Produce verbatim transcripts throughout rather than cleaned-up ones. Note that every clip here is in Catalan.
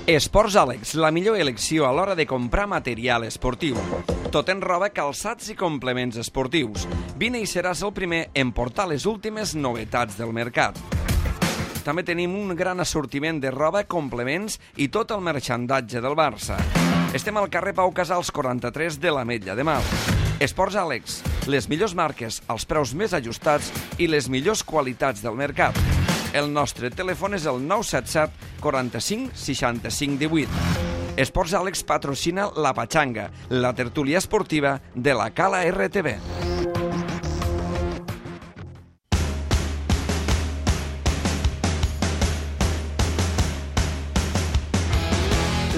Esports Àlex, la millor elecció a l'hora de comprar material esportiu. Tot en roba, calçats i complements esportius. Vine i seràs el primer en portar les últimes novetats del mercat. També tenim un gran assortiment de roba, complements i tot el marxandatge del Barça. Estem al carrer Pau Casals quaranta-tres de l'Ametlla de Mar. Esports Àlex, les millors marques, els preus més ajustats i les millors qualitats del mercat. El nostre telèfon és el nou set set quaranta-cinc seixanta-cinc divuit. Esports Àlex patrocina La Pachanga, la tertúlia esportiva de la Cala R T V.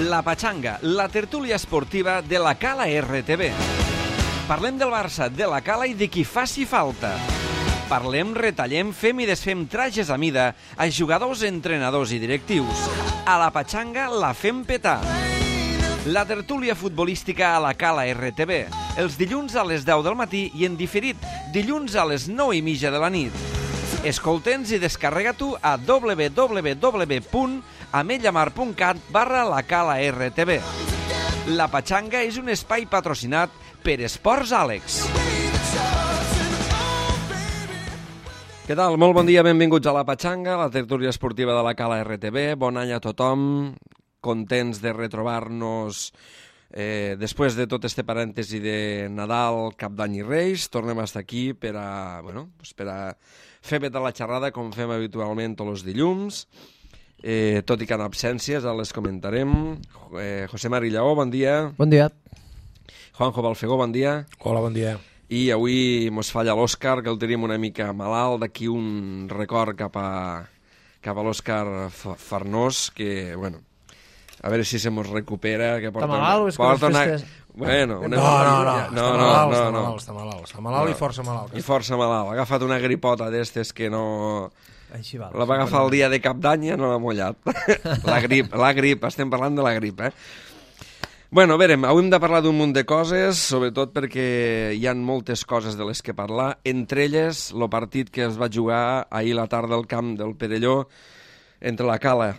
La Pachanga, la tertúlia esportiva de la Cala R T V. Parlem del Barça, de la Cala i de qui faci falta. Parlem, retallem, fem i desfem trajes a mida a jugadors, entrenadors i directius. A la Pachanga la fem petar. La tertúlia futbolística a la Cala R T V. Els dilluns a les deu del matí i en diferit dilluns a les nou i mitja de la nit. Escolta'ns i descarrega-t'ho a w w w punt ametllamar punt cat barra la Cala R T V. La Pachanga és un espai patrocinat per Esports Àlex. Què tal? Molt bon dia, benvinguts a La Pachanga, la tertúlia esportiva de la Cala R T V. Bon any a tothom, contents de retrobar-nos eh, després de tot este parèntesi de Nadal, Cap d'Any i Reis. Tornem a estar aquí per a, bueno, pues per a fer petar la xerrada com fem habitualment tots els dilluns. Eh, tot i que en absències, ara les comentarem. Eh, José Mari Lleó, bon dia. Bon dia. Juanjo Balfegó, bon dia. Hola, bon dia. I avui mos falla l'Òscar, que el tenim una mica malalt. D'aquí un record cap a, cap a l'Òscar Farnós, que, bueno, a veure si se mos recupera. Que porta està malalt o és que les una... festes... Bueno, no, no, no, no, està no, malalt, no, està no. malalt, està malalt, està malalt no. i força malalt. I força malalt. Ha agafat una gripota d'estes que no... Així val. La va agafar el dia de Cap d'Any i no l'ha mullat. La grip, la grip, estem parlant de la grip, eh? Bueno, a veure, avui hem de parlar d'un munt de coses, sobretot perquè hi ha moltes coses de les que parlar, entre elles el partit que es va jugar ahir a la tarda al camp del Perelló entre la Cala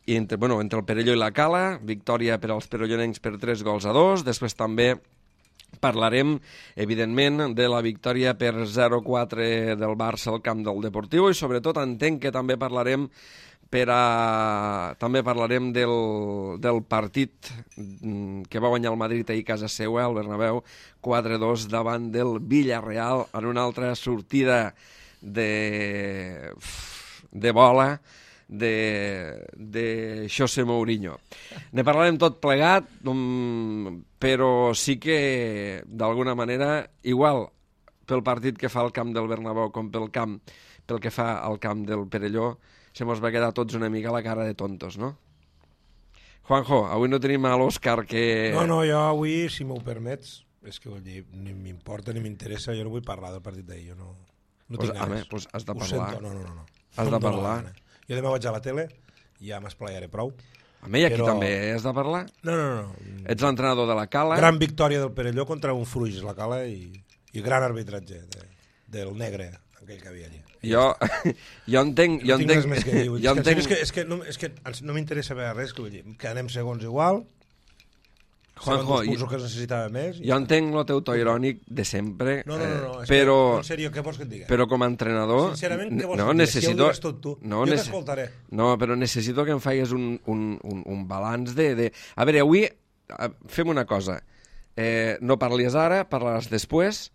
i entre, bueno, entre el Perelló i la Cala, victòria per als perellonencs per tres gols a dos, després també parlarem, evidentment, de la victòria per zero a quatre del Barça al camp del Deportivo i sobretot entenc que també parlarem per a... també parlarem del, del partit que va guanyar el Madrid ahir a casa seva, al Bernabéu, quatre a dos davant del Villarreal en una altra sortida de, de bola de, de José Mourinho. Ne parlarem tot plegat, però sí que, d'alguna manera, igual pel partit que fa al camp del Bernabéu com pel camp, pel que fa al camp del Perelló, se mos va quedar tots una mica la cara de tontos, no? Juanjo, avui no tenim a l'Òscar que... No, no, jo avui, si m'ho permets, és que vull dir, ni m'importa ni m'interessa, jo no vull parlar del partit d'ahir, jo no, no pues, tinc ganes. Home, pues has de Ho parlar. sento, no, no, no. no. Has no de parlar. Jo demà vaig a la tele i ja m'esplayaré prou. Home, i aquí però... també has de parlar? No, no, no. Ets l'entrenador de la Cala. Gran victòria del Perelló contra un Fruix, la Cala, i, i gran arbitratge de, del negre, aquell que havia allà. Jo, jo entenc... Jo no tinc entenc, res més que dir. Jo entenc... És que, és que, no, és que no m'interessa veure res, que vull dir, que anem segons igual, Juanjo, segons els cursos que es necessitava més... Jo entenc el teu to irònic de sempre, no, no, no, no, eh, però... Que, en sèrio, què vols que et digui? Però com a entrenador... Sincerament, què vols no, que et digui? necessito... Si ho digues tot tu, no, jo nece... t'escoltaré. No, però necessito que em faigues un, un, un, un balanç de, de... A veure, avui fem una cosa. Eh, no parlis ara, parlaràs després.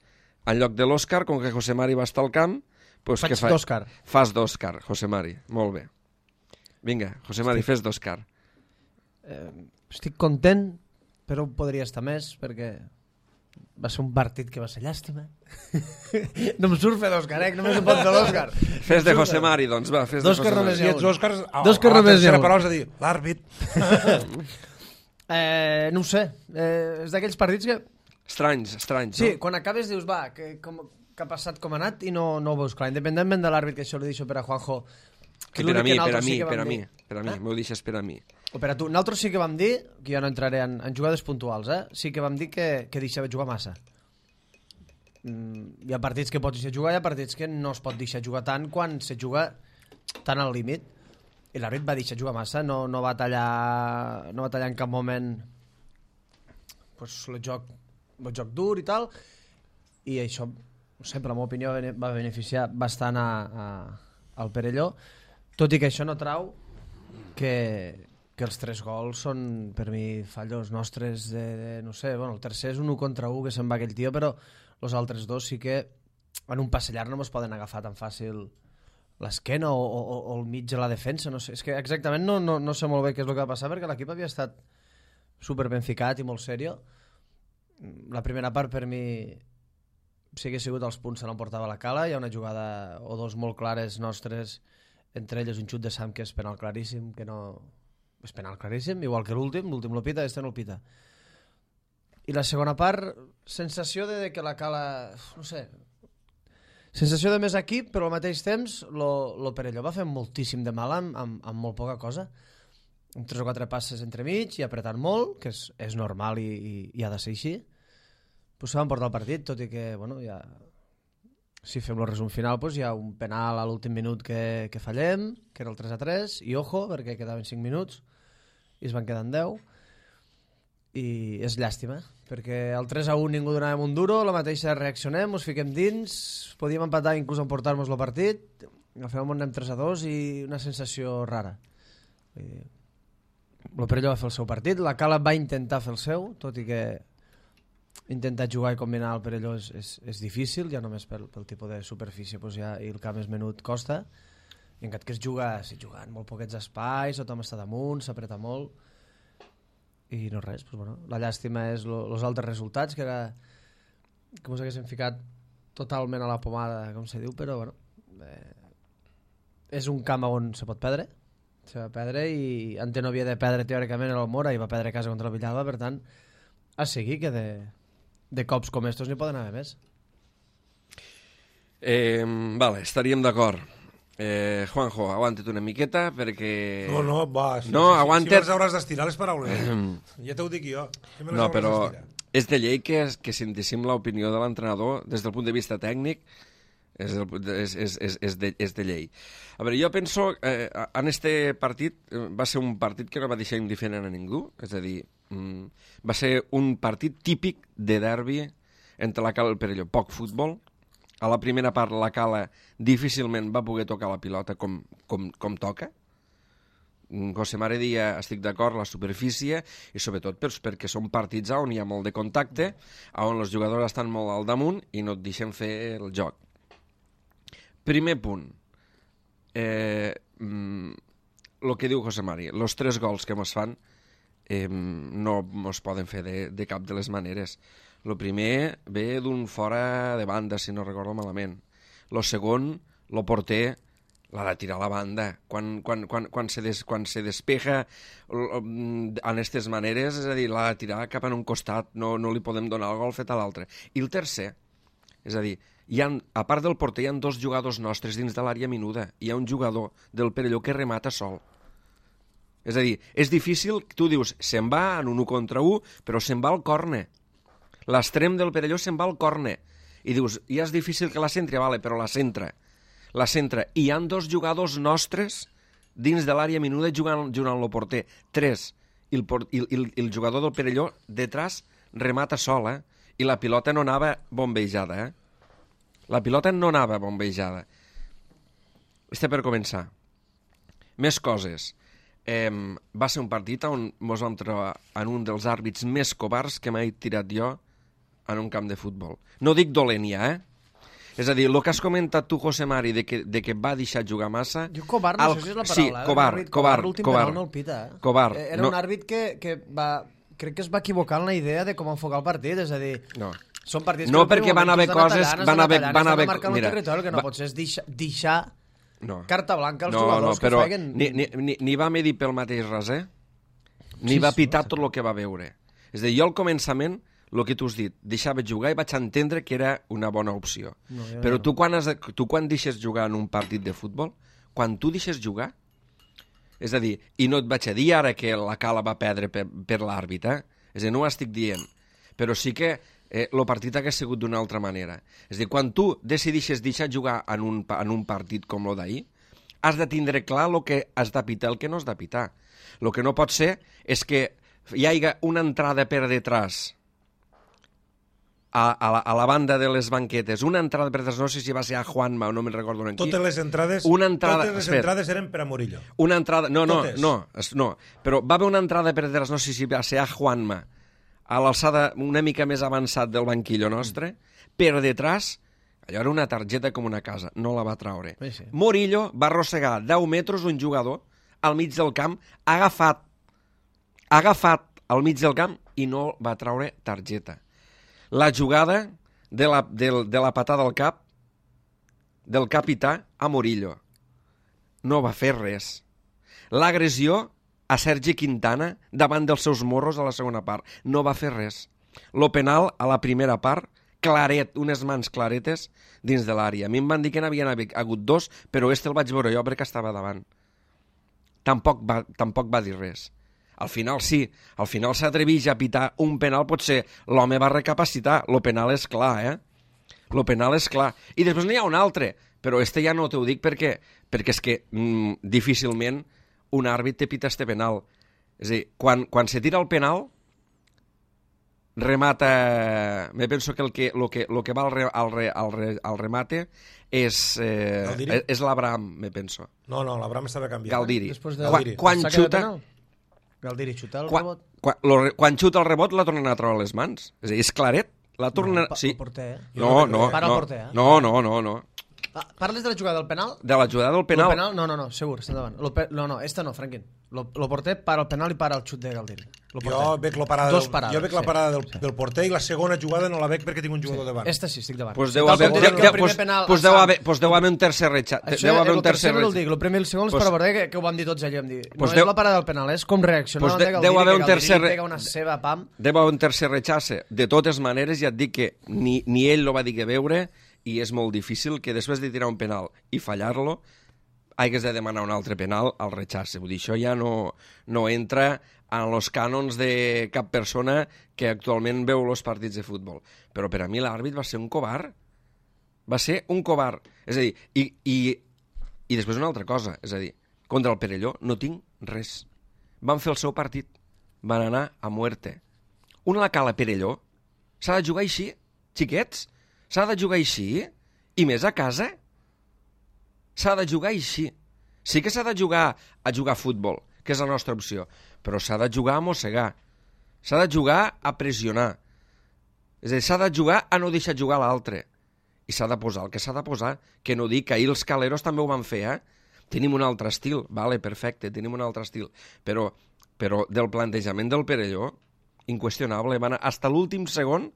En lloc de l'Òscar, com que José Mari va estar al camp... Pues Faig fa... d'Òscar. Fas d'Òscar, José Mari. Molt bé. Vinga, José Mari, estic... fes d'Òscar. Eh, estic content, però podria estar més, perquè va ser un partit que va ser llàstima. No em surt fer d'Òscar, eh? Només em pot fer d'Òscar. Fes de José Mari, doncs, va. Fes d'Òscar de només Si hi ha ets un. Òscar, a, D'Òscar a la només hi ha tercera un. paraula és a dir, l'àrbit. eh, no ho sé. Eh, és d'aquells partits que... Estranys, estranys, Sí, no? quan acabes dius, va, que, com, que ha passat, com ha anat, i no, no ho veus clar. Independentment de l'àrbit, que això li deixo per a Juanjo. Que per a mi, per a mi, sí per a mi, dir... per a mi, eh? m'ho deixes per a mi. O per a tu. Nosaltres sí que vam dir, que jo no entraré en, en jugades puntuals, eh? Sí que vam dir que, que deixava jugar massa. Mm, hi ha partits que pots deixar jugar, hi ha partits que no es pot deixar jugar tant quan se juga tan al límit. i l'àrbit va deixar jugar massa, no, no, va tallar, no va tallar en cap moment pues, el, joc, el joc dur i tal, i això, sempre la meva opinió, va beneficiar bastant a, a, al Perelló, tot i que això no trau que, que els tres gols són, per mi, fallos nostres de, de no sé, bueno, el tercer és un u contra u que se'n va aquell tio, però els altres dos sí que en un passe llarg no es poden agafar tan fàcil l'esquena o, o, o el mig de la defensa, no sé, és que exactament no, no, no sé molt bé què és el que va passar perquè l'equip havia estat super ben ficat i molt serio. La primera part per mi si hagués sigut els punts se l'emportava la Cala, hi ha una jugada o dos molt clares nostres, entre elles un xut de Sam que és penal claríssim, que no... és penal claríssim, igual que l'últim, l'últim el pita, este no el pita. I la segona part, sensació de que la Cala, no sé, sensació de més equip, però al mateix temps lo, lo Perelló va fer moltíssim de mal amb, amb, amb molt poca cosa, amb tres o quatre passes entremig i apretant molt, que és, és normal i, i, i ha de ser així. Pues se van portar el partit, tot i que, bueno, ja... si fem el resum final, pues hi ha un penal a l'últim minut que, que fallem, que era el tres a tres, i ojo, perquè quedaven cinc minuts, i es van quedar en deu, i és llàstima, perquè el tres a un ningú donàvem un duro, la mateixa reaccionem, us fiquem dins, podíem empatar inclús emportar-nos el partit, al final anem tres a dos i una sensació rara. El Perelló va fer el seu partit, la Cala va intentar fer el seu, tot i que intentar jugar i combinar el Perelló és, és, és difícil, ja només pel, pel tipus de superfície pues ja, i el camp és menut costa, i encara que es juga, es juga en molt poquets espais, tothom està damunt, s'apreta molt, i no res, pues bueno, la llàstima és els altres resultats, que era que ens haguéssim ficat totalment a la pomada, com se diu, però bueno, eh, és un camp on se pot perdre, se va perdre i Ante no havia de perdre teòricament a l'Almora i va perdre a casa contra el Villalba, per tant, a seguir que de, de cops com estos n'hi poden haver més. Eh, vale, estaríem d'acord. Eh, Juanjo, aguanta't una miqueta perquè... No, no, va, si, no, si, aguanta't... si me les hauràs d'estirar les paraules. Ja t'ho dic jo. Si no, però és de llei que, que sentíssim l'opinió de l'entrenador des del punt de vista tècnic, és, el, és, és, és, és, de, és de llei. A veure, jo penso eh, en este partit va ser un partit que no va deixar indiferent a ningú, és a dir, mm, va ser un partit típic de derbi entre la Cala i el Perelló, poc futbol. A la primera part la Cala difícilment va poder tocar la pilota com, com, com toca. José Mare dia, estic d'acord, la superfície, i sobretot per, perquè són partits on hi ha molt de contacte, on els jugadors estan molt al damunt i no et deixen fer el joc. Primer punt. Eh, el que diu José Mari, els tres gols que mos fan eh, no mos poden fer de, de cap de les maneres. El primer ve d'un fora de banda, si no recordo malament. El segon, el porter, l'ha de tirar a la banda. Quan, quan, quan, quan, se, des, quan se despeja en aquestes maneres, és a dir, l'ha de tirar cap en un costat, no, no li podem donar el gol fet a l'altre. I el tercer, és a dir, hi ha, a part del porter hi ha dos jugadors nostres dins de l'àrea minuda. Hi ha un jugador del Perelló que remata sol. És a dir, és difícil, tu dius, se'n va en un u contra u, però se'n va al córner. L'extrem del Perelló se'n va al córner. I dius, ja és difícil que la centri, vale, però la centra. La centra. I hi ha dos jugadors nostres dins de l'àrea minuda jugant, jugant el porter. Tres. I el, i, i, i el jugador del Perelló detrás remata sol, eh? I la pilota no anava bombejada, eh? La pilota no anava bombejada. Este per començar. Més coses. Eh, va ser un partit on ens vam trobar en un dels àrbits més covards que m'he tirat jo en un camp de futbol. No dic dolent ja, eh? És a dir, el que has comentat tu, José Mari, de que, de que va deixar jugar massa... Jo covard, no el... sé si és la paraula. Sí, eh? covard, covard. covard, L'últim covard. penal no el pita, eh? Covard. Era no... un àrbit que, que va... Crec que es va equivocar en la idea de com enfocar el partit, és a dir... No. Són partits no, que perquè van haver coses... Van haver... Van haver... Mira, el que no va... pots és deixar... deixar... No. Carta blanca als no, jugadors no, però que feien... Ni, ni, ni, ni va medir pel mateix res, eh? Ni sí, va pitar sí, tot el que va veure. És a dir, jo al començament, el que tu has dit, deixava jugar i vaig entendre que era una bona opció. No, ja però no. tu, quan has de, tu quan deixes jugar en un partit de futbol, quan tu deixes jugar, és a dir, i no et vaig a dir ara que la Cala va perdre per, per l'àrbit, eh? És a dir, no ho estic dient, però sí que eh, el partit hagués sigut d'una altra manera. És a dir, quan tu decidixes deixar jugar en un, en un partit com el d'ahir, has de tindre clar el que has de pitar, el que no has de pitar. El que no pot ser és que hi hagi una entrada per detrás a, a, la, a la banda de les banquetes, una entrada per detrás, no sé si va ser a Juanma o no me'n recordo en qui. Totes les entrades, una entrada, totes les espera, entrades eren per a Murillo. Una entrada, no, no, Totes. no, no, però va haver una entrada per detrás, no sé si va ser a Juanma, a l'alçada una mica més avançat del banquillo nostre, per detrás, allò era una targeta com una casa, no la va traure. Sí, sí. Murillo va arrossegar deu metres un jugador al mig del camp, agafat, agafat al mig del camp i no va traure targeta. La jugada de la, de, de la patada al cap del capità a Murillo. No va fer res. L'agressió a Sergi Quintana davant dels seus morros a la segona part. No va fer res. Lo penal a la primera part, claret, unes mans claretes dins de l'àrea. A mi em van dir que n'havien hagut dos, però este el vaig veure jo perquè estava davant. Tampoc va, tampoc va dir res. Al final sí, al final s'atreveix a pitar un penal, potser l'home va recapacitar, lo penal és clar, eh? Lo penal és clar. I després n'hi ha un altre, però este ja no t'ho dic perquè, perquè és que mm, difícilment un àrbit te pita este penal. És a dir, quan, quan se tira el penal, remata... Me penso que el que, lo que, lo que va al, re, al, re, al, re, al remate és, eh, és l'Abraham, me penso. No, no, l'Abraham estava canviant. Galdiri. Després de... Quan, quan xuta... Galdiri xuta el quan, rebot. Quan, lo, quan xuta el rebot la tornen a treure a les mans. És a dir, és claret. La tornen... No, sí. el porter, eh? No, no, Para no, el porter, eh? no, no, no, no. Ah, parles de la jugada del penal? De la jugada del penal. Lo penal? No, no, no, segur, està endavant. Lo pe... No, no, esta no, Franquín. Lo, lo porter para el penal i para el xut de Galdiri. Lo Jo veig, la parada, Dos del, parades, jo veig la sí. parada del, Sí. del porter i la segona jugada no la veig perquè tinc un jugador Sí. davant. Esta sí, estic davant. Pues Sí, deu tal haver, com deu, dic que el deu, primer pues, penal pues al deu, Sam- haver, pues deu haver un tercer recha. Això Deu haver el un tercer tercer el recha. dic, el primer i el segon és Pues- per veure que, que ho vam dir tots allà. Vam dir. No Pues és deu- la parada del penal, és com reaccionar Pues davant de- de deu Galdiri, haver que un Galdiri tercer re- pega una seva pam. Deu haver un tercer rechace. De totes maneres, ja et dic que ni, ni ell lo va dir que veure i és molt difícil que després de tirar un penal i fallar-lo hagués de demanar un altre penal al rechace. Vull dir, això ja no, no entra en els cànons de cap persona que actualment veu els partits de futbol. Però per a mi l'àrbit va ser un covard. Va ser un covard. És a dir, i, i, i després una altra cosa, és a dir, contra el Perelló no tinc res. Van fer el seu partit. Van anar a muerte. Una la cala Perelló s'ha de jugar així, xiquets? S'ha de jugar així? I més a casa? S'ha de jugar així. Sí que s'ha de jugar a jugar a futbol, que és la nostra opció, però s'ha de jugar a mossegar. S'ha de jugar a pressionar. És a dir, s'ha de jugar a no deixar jugar l'altre. I s'ha de posar el que s'ha de posar, que no dic que ahir els caleros també ho van fer, eh? Tenim un altre estil, vale, perfecte, tenim un altre estil, però, però del plantejament del Perelló, inqüestionable, van, hasta l'últim segon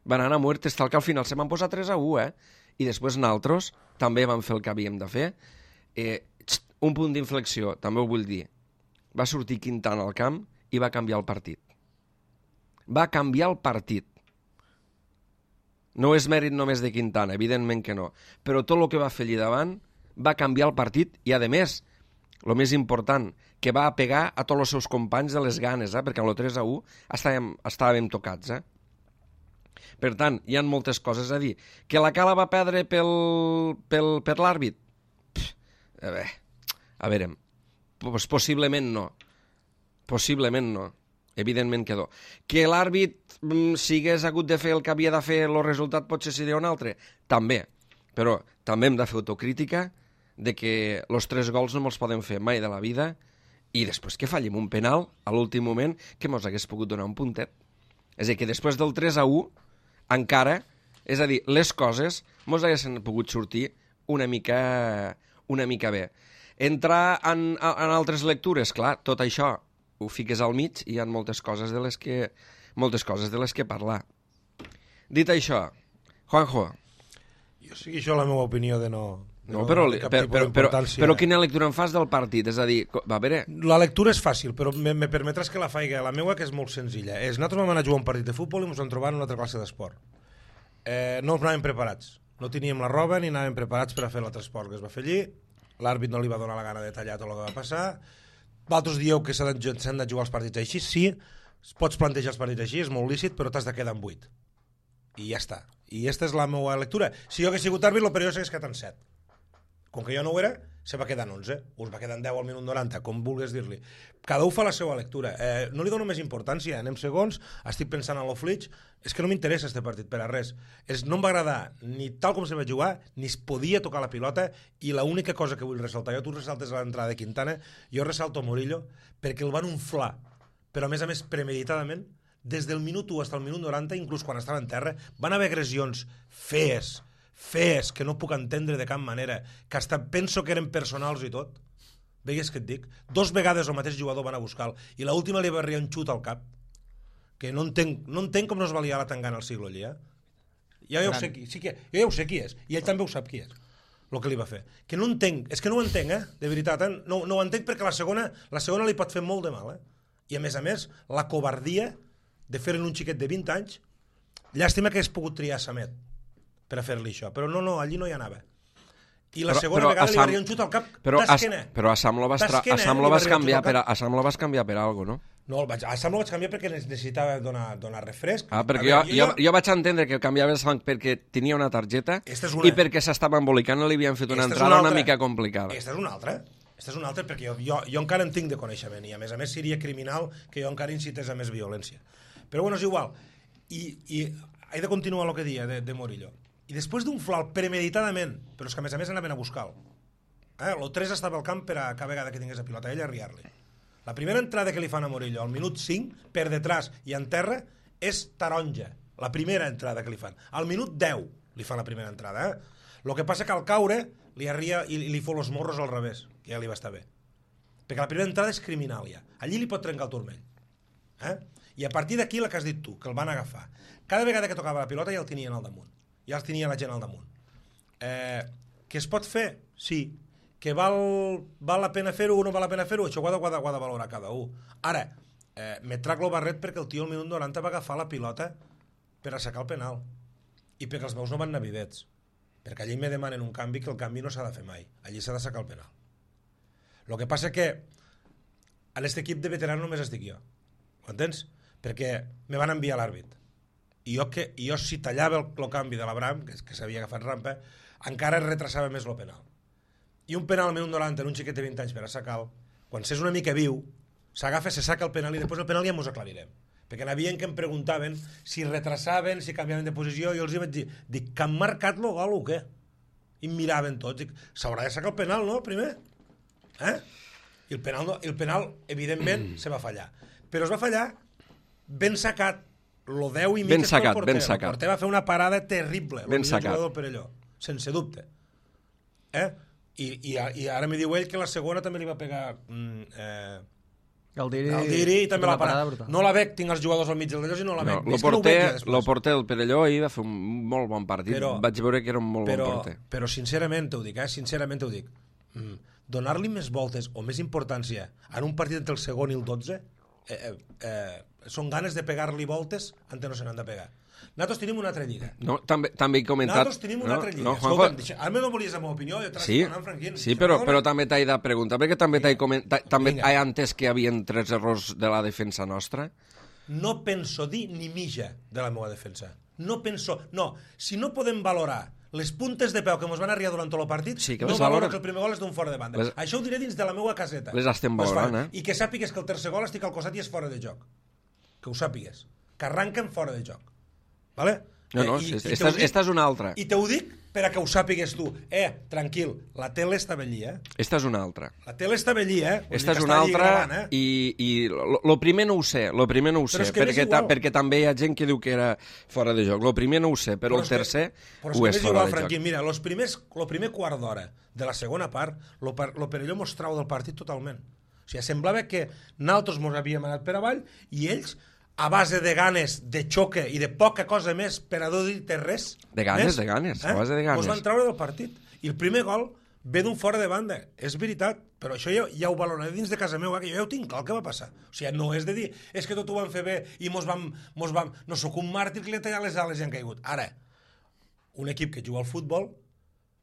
van anar a muerte, fins que al final se van posar tres a u, eh? I després nosaltres també vam fer el que havíem de fer. Eh, xt, un punt d'inflexió, també ho vull dir. Va sortir Quintana al camp i va canviar el partit. Va canviar el partit. No és mèrit només de Quintana, evidentment que no. Però tot el que va fer allà davant va canviar el partit i, a més, el més important, que va pegar a tots els seus companys de les ganes, eh? Perquè amb el tres a u estàvem, estàvem tocats, eh? Per tant, hi ha moltes coses a dir. Que la Cala va perdre pel, pel, per l'àrbit? A veure, a veure, pues possiblement no. Possiblement no. Evidentment que no. Que l'àrbit, si hagués hagut de fer el que havia de fer, el resultat potser seria un altre? També. Però també hem de fer autocrítica de que els tres gols no me'ls poden fer mai de la vida i després que fallem un penal a l'últim moment que mos hagués pogut donar un puntet. És a dir, que després del tres a u encara, és a dir, les coses mos haguessin pogut sortir una mica, una mica bé. Entrar en, en altres lectures, clar, tot això ho fiques al mig i hi ha moltes coses de les que, moltes coses de les que parlar. Dit això, Juanjo. Jo sí que això la meva opinió de no... De No, no però, de cap però, tipus però, però, d'importància. però quina lectura en fas del partit? És a dir, va, a veure... La lectura és fàcil, però me, me permetràs que la faig la meva, que és molt senzilla. És, nosaltres vam anar a jugar un partit de futbol i ens vam trobar en una altra classe d'esport. Eh, no ens anàvem preparats. No teníem la roba ni anàvem preparats per a fer l'altre esport que es va fer allí. L'àrbit no li va donar la gana de tallar tot el que va passar. Vosaltres dieu que s'han de, s'han de jugar els partits així. Sí, pots plantejar els partits així, és molt lícit, però t'has de quedar en vuit. I ja està. I aquesta és la meva lectura. Si jo hagués sigut àrbit, el període s'hagués quedat en set. Com que jo no ho era, se va quedar en onze, us va quedar en deu al minut noranta, com vulguis dir-li. Cada un fa la seva lectura. Eh, no li dono més importància, anem segons, estic pensant en l'Oflitx, és que no m'interessa este partit per a res. És, no em va agradar ni tal com se va jugar, ni es podia tocar la pilota, i l'única cosa que vull ressaltar, jo tu ressaltes l'entrada de Quintana, jo ressalto Murillo, perquè el van unflar, però a més a més premeditadament, des del minut u fins al minut noranta, inclús quan estava en terra, van haver agressions fees, fees, que no puc entendre de cap manera, que hasta penso que eren personals i tot. Veigues què et dic? Dos vegades el mateix jugador van a buscar-lo, i l'última li va arribar un xut al cap, que no entenc, no entenc com no es va liar la tangana al siglo allí, eh? Ja, ja ho sé qui, sí que, jo ja ho sé qui és, i ell també ho sap qui és, el que li va fer. Que no entenc, és que no ho entenc, eh? De veritat, eh? No, no ho entenc perquè la segona, la segona li pot fer molt de mal, eh? I a més a més, la covardia de fer-ne un xiquet de vint anys, llàstima que hagués pogut triar Samet per a fer-li això, però no, no, allí no hi anava. I la però, segona però vegada Sam, li va arribar un xut al cap d'esquena. Però a Sam lo vas, tra... a Sam lo vas canviar per a, a Sam lo vas canviar per algo, no? No, el vaig, a Sam lo vaig canviar perquè necessitava donar, donar refresc. Ah, perquè veure, jo, jo, jo, jo vaig entendre que canviava el Sam perquè tenia una targeta una... i perquè s'estava embolicant i li havien fet una esta entrada una, una mica complicada. Esta és una altra. Esta és una altra perquè jo, jo, jo encara en tinc de coneixement i a més a més seria criminal que jo encara incités a més violència. Però bueno, és igual. I, i he de continuar el que dia de, de Murillo. I després d'un flau premeditadament, però és que a més a més anaven a buscar-lo. Eh? El tres estava al camp per a cada vegada que tingués a pilota ell a arriar-li. La primera entrada que li fan a Murillo al minut cinc, per detrás i en terra, és taronja. La primera entrada que li fan. Al minut deu li fan la primera entrada. Eh? El que passa que al caure li arria i li fot els morros al revés, que ja li va estar bé. Perquè la primera entrada és criminal ja. Allí li pot trencar el turmell. Eh? I a partir d'aquí la que has dit tu, que el van agafar. Cada vegada que tocava la pilota ja el tenien al damunt. Ja els tenia la gent al damunt. Eh, que es pot fer? Sí. Que val, val la pena fer-ho o no val la pena fer-ho? Això ho ha de, ho ha de, ho ha de valorar cada un. Ara, eh, me trac lo barret perquè el tio al minut noranta va agafar la pilota per assecar el penal. I perquè els meus no van anar videts. Perquè allí me demanen un canvi que el canvi no s'ha de fer mai. Allí s'ha de sacar el penal. El que passa que a aquest equip de veterans només estic jo. Ho entens? Perquè me van enviar l'àrbit. I jo, que, jo si tallava el, el canvi de l'Abraham, que, que s'havia agafat rampa, encara es retrasava més el penal. I un penal al minut noranta en un xiquet de vint anys per a sacar-lo, quan s'és una mica viu, s'agafa, se saca el penal i després el penal ja mos aclarirem. Perquè n'havien que em preguntaven si retrasaven, si canviaven de posició, i jo els hi vaig dir, dic, que han marcat el gol o què? I em miraven tots, dic, s'haurà de sacar el penal, no, primer? Eh? I el penal, no, el penal evidentment, se va fallar. Però es va fallar ben sacat. Lo deu i mig ben sacat, el porter. Ben sacat. El porter va fer una parada terrible. Ben sacat. El Perelló, sense dubte. Eh? I, i, I ara me diu ell que la segona també li va pegar mm, eh, Galdiri, Galdiri i també la parada. No la veig, tinc els jugadors al mig del d'allò i no la veig. No, el porter, no el porter del Perelló ahir va fer un molt bon partit. Però, vaig veure que era un molt però, bon porter. Però sincerament t'ho dic, eh? Sincerament t'ho dic. Mm, donar-li més voltes o més importància en un partit entre el segon i el dotze eh, eh, eh, són ganes de pegar-li voltes antes no se n'han de pegar. Nosaltres tenim una altra lliga. No, també, també he comentat... Nosaltres tenim una no, altra lliga. No, Escolta'm, deixa, ara no volies la meva opinió, jo t'he sí, Franquín. Sí, però, però també t'he de preguntar, perquè també t'he comentat, també he entès que hi havia tres errors de la defensa nostra. No penso dir ni mitja de la meva defensa. No penso... No, si no podem valorar les puntes de peu que ens van arribar durant tot el partit, sí, no valoro que el primer gol és d'un fora de banda. Les... Això ho diré dins de la meva caseta. Les estem valorant, eh? I que sàpigues que el tercer gol estic al costat i és fora de joc. Que ho sàpigues. Que arranquen fora de joc. Vale? No, no, I, esta, i esta és una altra. I te ho dic per a que ho sàpigues tu. Eh, tranquil, la tele estava allí, eh? Esta és una altra. La tele estava allí, eh? Esta és una altra gravant, eh? i, i lo, lo primer no ho sé, lo primer no ho sé, perquè, ta, perquè també hi ha gent que diu que era fora de joc. Lo primer no ho sé, però, però el tercer que, ho és, és fora igual, de Franquín, joc. Mira, los primers, lo primer quart d'hora de la segona part, lo, lo Perelló mostrava del partit totalment. O sigui, semblava que nosaltres mos havíem anat per avall i ells a base de ganes, de xoque i de poca cosa més per a no dir-te res. De ganes, més, de ganes, eh? a base de ganes. Us van treure del partit. I el primer gol ve d'un fora de banda. És veritat, però això ja, ja ho valoraré dins de casa meva, que jo ja ho tinc clar el que va passar. O sigui, no és de dir, és que tot ho van fer bé i mos vam... Mos vam no sóc un màrtir que li ha tallat les ales i han caigut. Ara, un equip que juga al futbol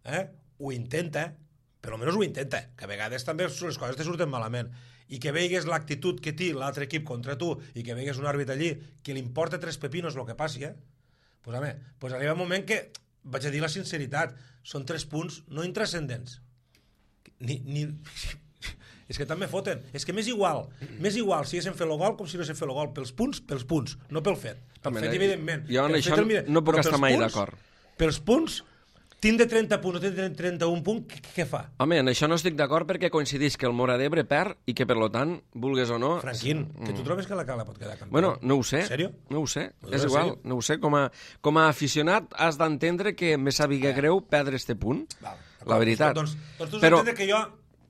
eh, ho intenta, per almenys ho intenta, que a vegades també les coses te surten malament. I que veigues l'actitud que té l'altre equip contra tu i que veigues un àrbit allí que li importa tres pepinos el que passi, eh? Pues, home, pues arriba un moment que, vaig a dir la sinceritat, són tres punts no intrascendents, ni, ni... És que també foten. És que m'és igual. M'és igual si haguéssim fet el gol com si no haguéssim fet el gol. Pels punts, pels punts, no pel fet. Pel Home, fet, evidentment. Jo en això no puc estar mai d'acord. Pels punts, tindre trenta punts o tindre trenta-un punts, què, què fa? Home, en això no estic d'acord perquè coincideix que el Móra d'Ebre perd i que, per lo tant, vulgues o no... Franquín, que tu trobes que la Cala pot quedar campió? Bueno, no ho sé. En sèrio? No ho sé. No, És en igual, sèrio? no ho sé. Com a, com a aficionat has d'entendre que me sàpiga greu perdre este punt. Val, la veritat. Doncs, doncs tu has però, d'entendre que jo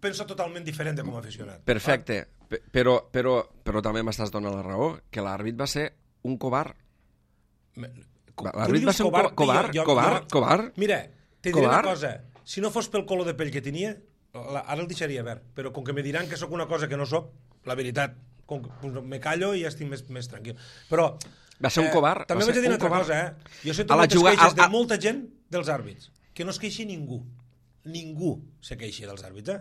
penso totalment diferent de com a aficionat. Perfecte. P- Però, però, però també m'estàs donant la raó, que l'àrbit va ser un covard. L'àrbit va ser un co- covard, covard, covard. Mira, te diré Covard? una cosa. Si no fos pel color de pell que tenia, la, ara el deixaria verd. Però com que me diran que sóc una cosa que no sóc, la veritat, com que, doncs, me callo i ja estic més, més tranquil. Però... Va ser un covard. També va vaig a dir ser una un altra covard. cosa, eh? Jo sento A la moltes juga- queixes a- de a- molta gent dels àrbits. Que no es queixi ningú. Ningú se queixi dels àrbits, eh?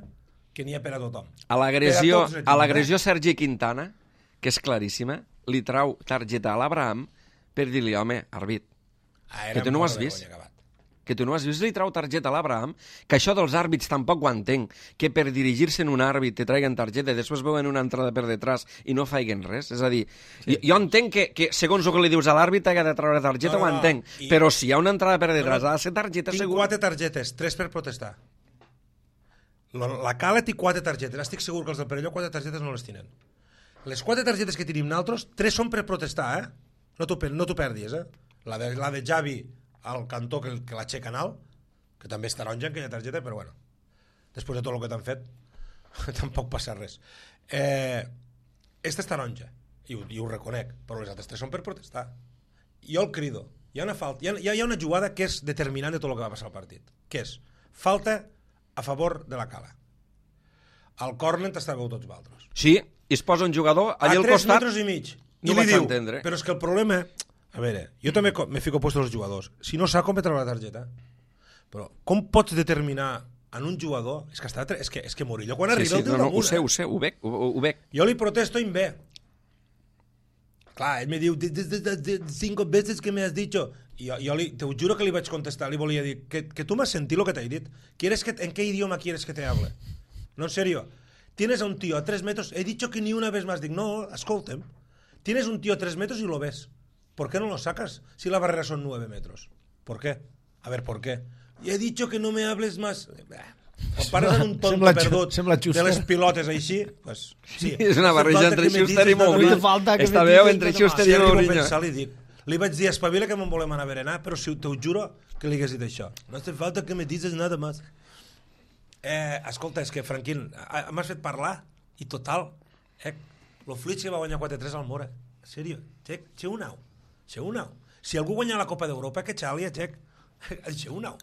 Que n'hi ha per a tothom. A l'agressió Per a tots, a l'agressió Sergi Quintana, que és claríssima, li trau targeta a l'Abraham per dir-li, home, àrbit, Ah, que tu no ho has vist. Que tu no has vist, li trau targeta a l'Abraham, que això dels àrbits tampoc ho entenc, que per dirigir-se en un àrbit te traiguen targeta i després veuen una entrada per detrás i no faiguen res. És a dir, sí. jo, jo entenc que, que segons el que li dius a l'àrbit ha de treure targeta, No, no, ho no. entenc, I- però si hi ha una entrada per detrás No, no. ha de ser targeta Tinc segur. quatre targetes, tres per protestar. La, la Cala té quatre targetes. Estic segur que els del Perelló quatre targetes no les tenen. Les quatre targetes que tenim nosaltres, tres són per protestar, eh? No t'ho per- no t'ho perdis, eh? La de, la de Javi al cantó que, que l'aixeca en alt, que també és taronja en aquella targeta, però bueno, després de tot el que t'han fet, tampoc passa res. Eh, esta és taronja, i ho, i ho reconec, però les altres tres són per protestar. Jo el crido. Hi ha una, falta, hi ha, hi ha una jugada que és determinant de tot el que va passar al partit, que és falta a favor de la Cala. Al córner t'estàveu tots vosaltres. Sí, i es posa un jugador A allà al tres costat. metres i mig. No I vaig li diu, entendre. però és que el problema... A veure, jo també co- me fico puesto als jugadors. Si no sap com treure la targeta, però com pots determinar en un jugador... És que, està, tre- és que, és que Murillo quan Sí, arriba sí, el diu no, no, ho damunt, sé, eh? ho sé, ho veig, ho, ho veig. Jo li protesto i em ve. Clar, ell me diu, "De- de- de- de- cinco veces que me has dicho... I jo, jo li, te ho juro que li vaig contestar, li volia dir, que, que tu m'has sentit lo que t'he dit. ¿Quieres que, ¿En qué idioma quieres que te hable? No, en serio. Tienes a un tío a tres metros, he dicho que ni una vez más. Dic, no, escolta'm. Tienes un tío a tres metros y lo ves. ¿Por qué no lo sacas si la barrera son nueve metros? ¿Por qué? A ver, ¿por qué? Y he dicho que no me hables más. Bah. Quan pares en un tonto Sembla Ju- perdut sembla de Schuster. les pilotes així, pues, sí. És una barreja Falta entre que me Schuster i dices nada Mourinho. más. falta que Està me bé, dices entre nada Schuster Si i arribo a Mourinho. pensar, li dic, li vaig dir, espavila que me'n volem anar a berenar, però si te ho juro que li hagués dit això. No hace falta que me dices nada más. Eh, escolta, és que, Franquín, a- m'has fet parlar, i total, eh, lo Fluid que va guanyar quatre tres al Mora. En sèrio, xec, xe un au. Xe un au. Si algú guanya la Copa d'Europa, que xalia, xec. Xe un au.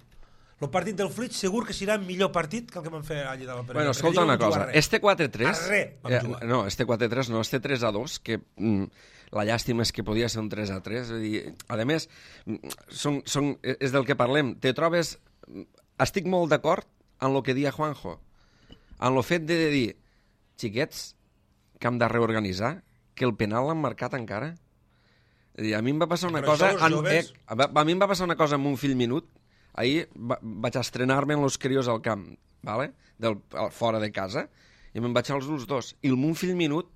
El partit del Fluid segur que serà millor partit que el que vam fer allà de la Perelló. Bueno, Perquè escolta allí no una vam jugar cosa, res. este quatre tres... A res vam eh, jugar. no, este quatre tres no, este tres a dos, que mm, la llàstima és que podia ser un tres a tres, és a dir, a més, mm, són, són, és del que parlem, te trobes... Estic molt d'acord en el que dia Juanjo, en el fet de dir, xiquets, que hem de reorganitzar, que el penal l'han marcat encara. És a dir, a mi em va passar una Però cosa... això, els En, joves- eh, a, a mi em va passar una cosa amb un fill minut. Ahir va, vaig estrenar-me en los crios al camp, vale? Del, al, fora de casa, i me'n vaig als ulls dos. I el mon fill minut,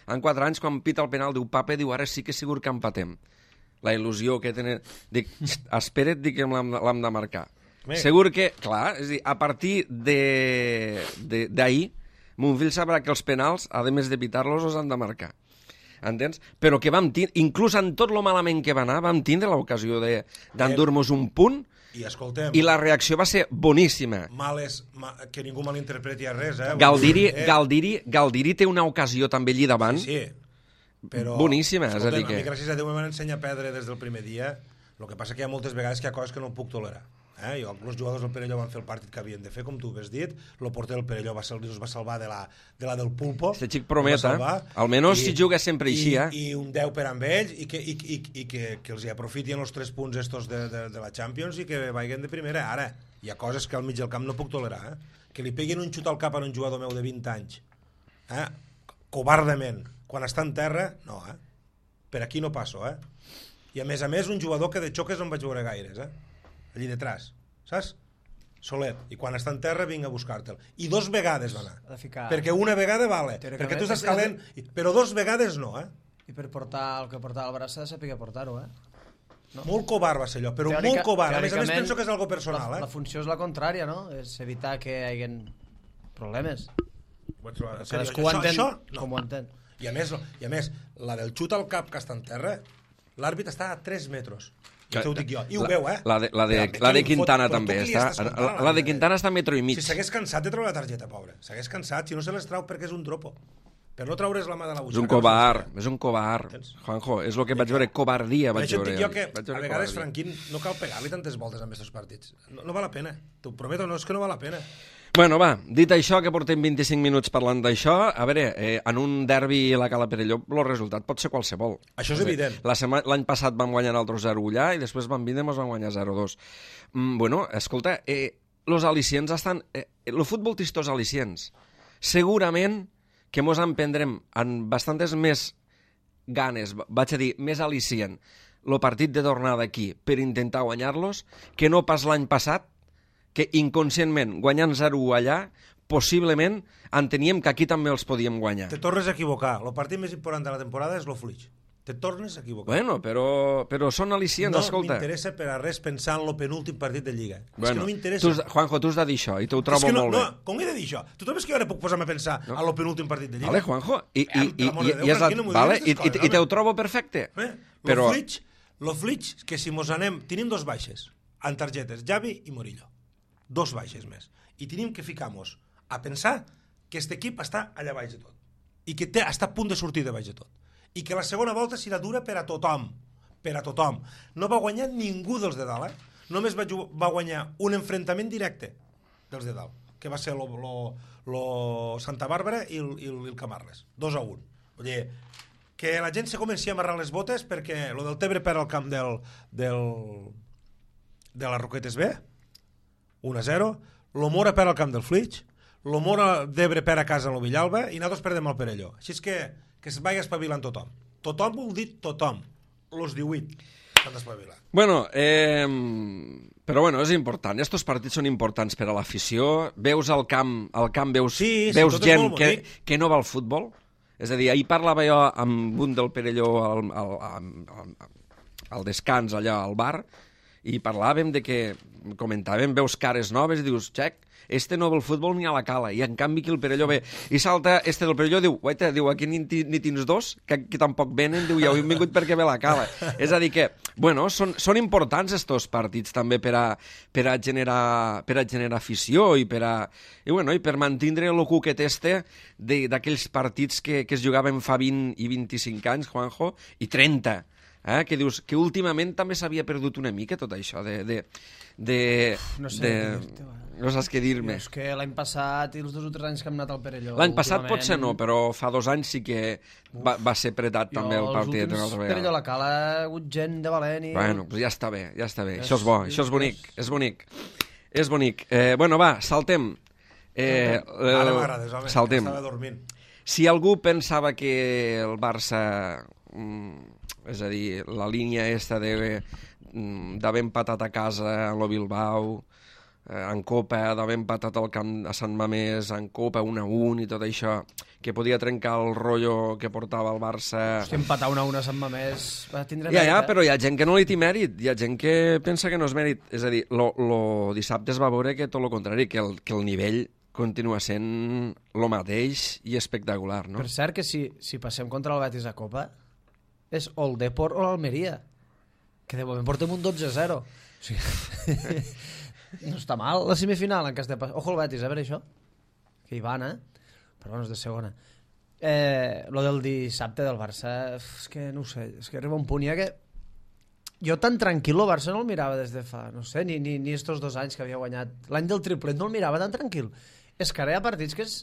en quatre anys, quan pita el penal, diu, papa, diu, ara sí que segur que empatem. La il·lusió que tenen... Dic, espera't, dic que l'hem l'hem de marcar. Bé. Segur que, clar, és a dir, a partir de- de- d'ahir, mon fill sabrà que els penals, a més de pitar-los, els han de marcar. Entens? Però que vam tindre, inclús en tot lo malament que va anar, vam tindre l'ocasió de- d'endur-nos un punt, I escoltem, i la reacció va ser boníssima. males, ma, que ningú malinterpreti a res, eh? Galdiri, Eh, Galdiri, Galdiri té una ocasió també allí davant. Sí, sí. Però, Boníssima, és a escolta'm, dir que- a mi, gràcies a Déu, m'han ensenyat a perdre des del primer dia. El que passa que hi ha moltes vegades que hi ha coses que no puc tolerar. Eh? Jo, els jugadors del Perelló van fer el partit que havien de fer, com tu has dit. El porter del Perelló va, sal, va salvar de la, de la del Pulpo. Este xic prometa, almenys si juga sempre així, eh? I, I un deu per amb ells, i que, i, i, i que, que els hi aprofitin els tres punts estos de, de, de la Champions i que vagin de primera. Ara, hi ha coses que al mig del camp no puc tolerar, eh? Que li peguin un xut al cap a un jugador meu de vint anys, eh? Covardament, quan està en terra, no, eh? Per aquí no passo, eh? I a més a més un jugador que de xoques no en vaig veure gaires, eh? Allí detrás, saps? Solet, i quan està en terra vinga a buscar-te'l. I dos vegades va anar. Ha de ficar... Perquè una vegada vale, perquè tu estàs calent, però dos vegades no, eh? I per portar el que portava el braç s'ha de saber portar-ho, eh? No. Molt covard va ser allò, però Teòrica, molt covard. A més a més penso que és algo personal, la, eh? La funció és la contrària, no? És evitar que hi hagi problemes. Cadascú ho entén com ho entén. I a més, i a més, la del xut al cap que està en terra, l'àrbit està a tres metres. Ja t'ho dic jo. I ho la, veu, eh? La de, la de, la de Quintana fot, també està. La, la de Quintana està a metro i mig. Si s'hagués cansat de treure la targeta, pobre. S'hagués cansat, si no se les trau perquè és un tropo. Per no traure's la mà de la butxaca. És un covard, és un covard. Juanjo, és el que vaig veure, covardia vaig veure. Per això et dic jo que a vegades, Franquín, no cal pegar-li tantes voltes amb aquests partits. No, no val la pena. T'ho prometo, no, és que no val la pena. Bueno, va, dit això, que portem vint-i-cinc minuts parlant d'això, a veure, eh, en un derbi a la Cala Perelló el resultat pot ser qualsevol. Això és evident. L'any passat vam guanyar altres zero allà i després vam vindre i ens vam guanyar zero dos. Mm, bueno, escolta, eh, los al·licients estan... Eh, el futbol té estos al·licients. Segurament que mos en prendrem amb bastantes més ganes, vaig a dir, més al·licient, el partit de tornada aquí per intentar guanyar-los, que no pas l'any passat, que inconscientment, guanyant zero allà, possiblement enteníem que aquí també els podíem guanyar. Te tornes a equivocar. El partit més important de la temporada és l'Oflix. Te tornes a equivocar. Bueno, però, però són al·licients, no escolta. No m'interessa per a res pensar en el penúltim partit de Lliga. Bueno, és que no m'interessa. Juanjo, tu has de dir això, i t'ho trobo no, molt no, bé. No, com he de dir això? Tu trobes que jo ara puc posar-me a pensar no. en el penúltim partit de Lliga? Vale, Juanjo, i, i, i, i, Déu, i, la, no vale, i, i, i te ho trobo perfecte. Eh? Però... L'Oflix, que si mos anem... Tenim dos baixes, en targetes, Javi i Morillo. Dos baixes més. I tenim que ficar-nos a pensar que aquest equip està allà baix de tot. I que té, està a punt de sortir de baix de tot. I que la segona volta serà dura per a tothom. Per a tothom. No va guanyar ningú dels de dalt, eh? Només va, va guanyar un enfrontament directe dels de dalt, que va ser lo, lo, lo Santa Bàrbara i el, i el Camarles. Dos a un. Vull dir, que la gent se comenci a amarrar les botes perquè lo del Tebre per al camp del, del, de la Roquetes B, un a zero, lo Mora per al camp del Flix, lo Mora d'Ebre per a casa a lo Villalba i nosaltres perdem el Perelló. Així és que, que es vagi espavilant tothom. Tothom vol dir tothom. Los divuit s'han d'espavilar. Bueno, eh, però bueno, és important. Estos partits són importants per a l'afició. Veus al camp, al camp veus, sí, sí, veus gent que, que no va al futbol. És a dir, ahir parlava jo amb un del Perelló al, al, al, al, al descans allà al bar, i parlàvem de que, comentàvem, veus cares noves i dius, xec, este no ve el futbol ni a la Cala, i en canvi aquí el Perelló ve. I salta este del Perelló, diu, guaita, diu, aquí ni, ni tens dos, que, que tampoc venen, diu, ja ho hem vingut perquè ve la Cala. És a dir que, bueno, són, són importants estos partits també per a, per a, generar, per a generar afició i per a, i, bueno, i per mantindre el cuquet este d'aquells partits que, que es jugaven fa vint i vint-i-cinc anys, Juanjo, i trenta. Eh? Que dius que últimament també s'havia perdut una mica tot això de... de, de, no sé de... dir-te, no saps què dir-me. És que l'any passat i els dos o tres anys que hem anat al Perelló... L'any passat potser no, però fa dos anys sí que va, va ser pretat també el partit. Jo els últims Perelló a la Cala ha hagut gent de valent i... Bueno, pues ja està bé, ja està bé. És, això és bo, això és bonic, és bonic. És bonic. Eh, bueno, va, saltem. Eh, eh, Ara m'agrades, home, saltem. Estava dormint. Si algú pensava que el Barça... Mm, és a dir, la línia esta d'haver empatat a casa a lo Bilbao, eh, en Copa, d'haver empatat al camp a Sant Mamés, en Copa un a un i tot això, que podia trencar el rotllo que portava el Barça... Hosti, empatar un a un a Sant Mamés va tindre ja, mèrit, ja, eh? però hi ha gent que no li té mèrit, hi ha gent que pensa que no és mèrit. És a dir, lo, lo dissabte es va veure que tot el contrari, que el, que el nivell continua sent lo mateix i espectacular, no? Per cert que si, si passem contra el Betis a Copa és o el Depor o l'Almeria, que de moment portem un dotze a zero. O sigui, no està mal la semifinal en cas de pas. Ojo el Betis, a veure això, que hi van, eh? Però bueno, és de segona. Eh, lo del dissabte del Barça, és que no ho sé, és que arriba un punt ja que jo tan tranquil el Barça no el mirava des de fa, no sé, ni, ni, ni estos dos anys que havia guanyat. L'any del triplet no el mirava tan tranquil. És que ara hi ha partits que és,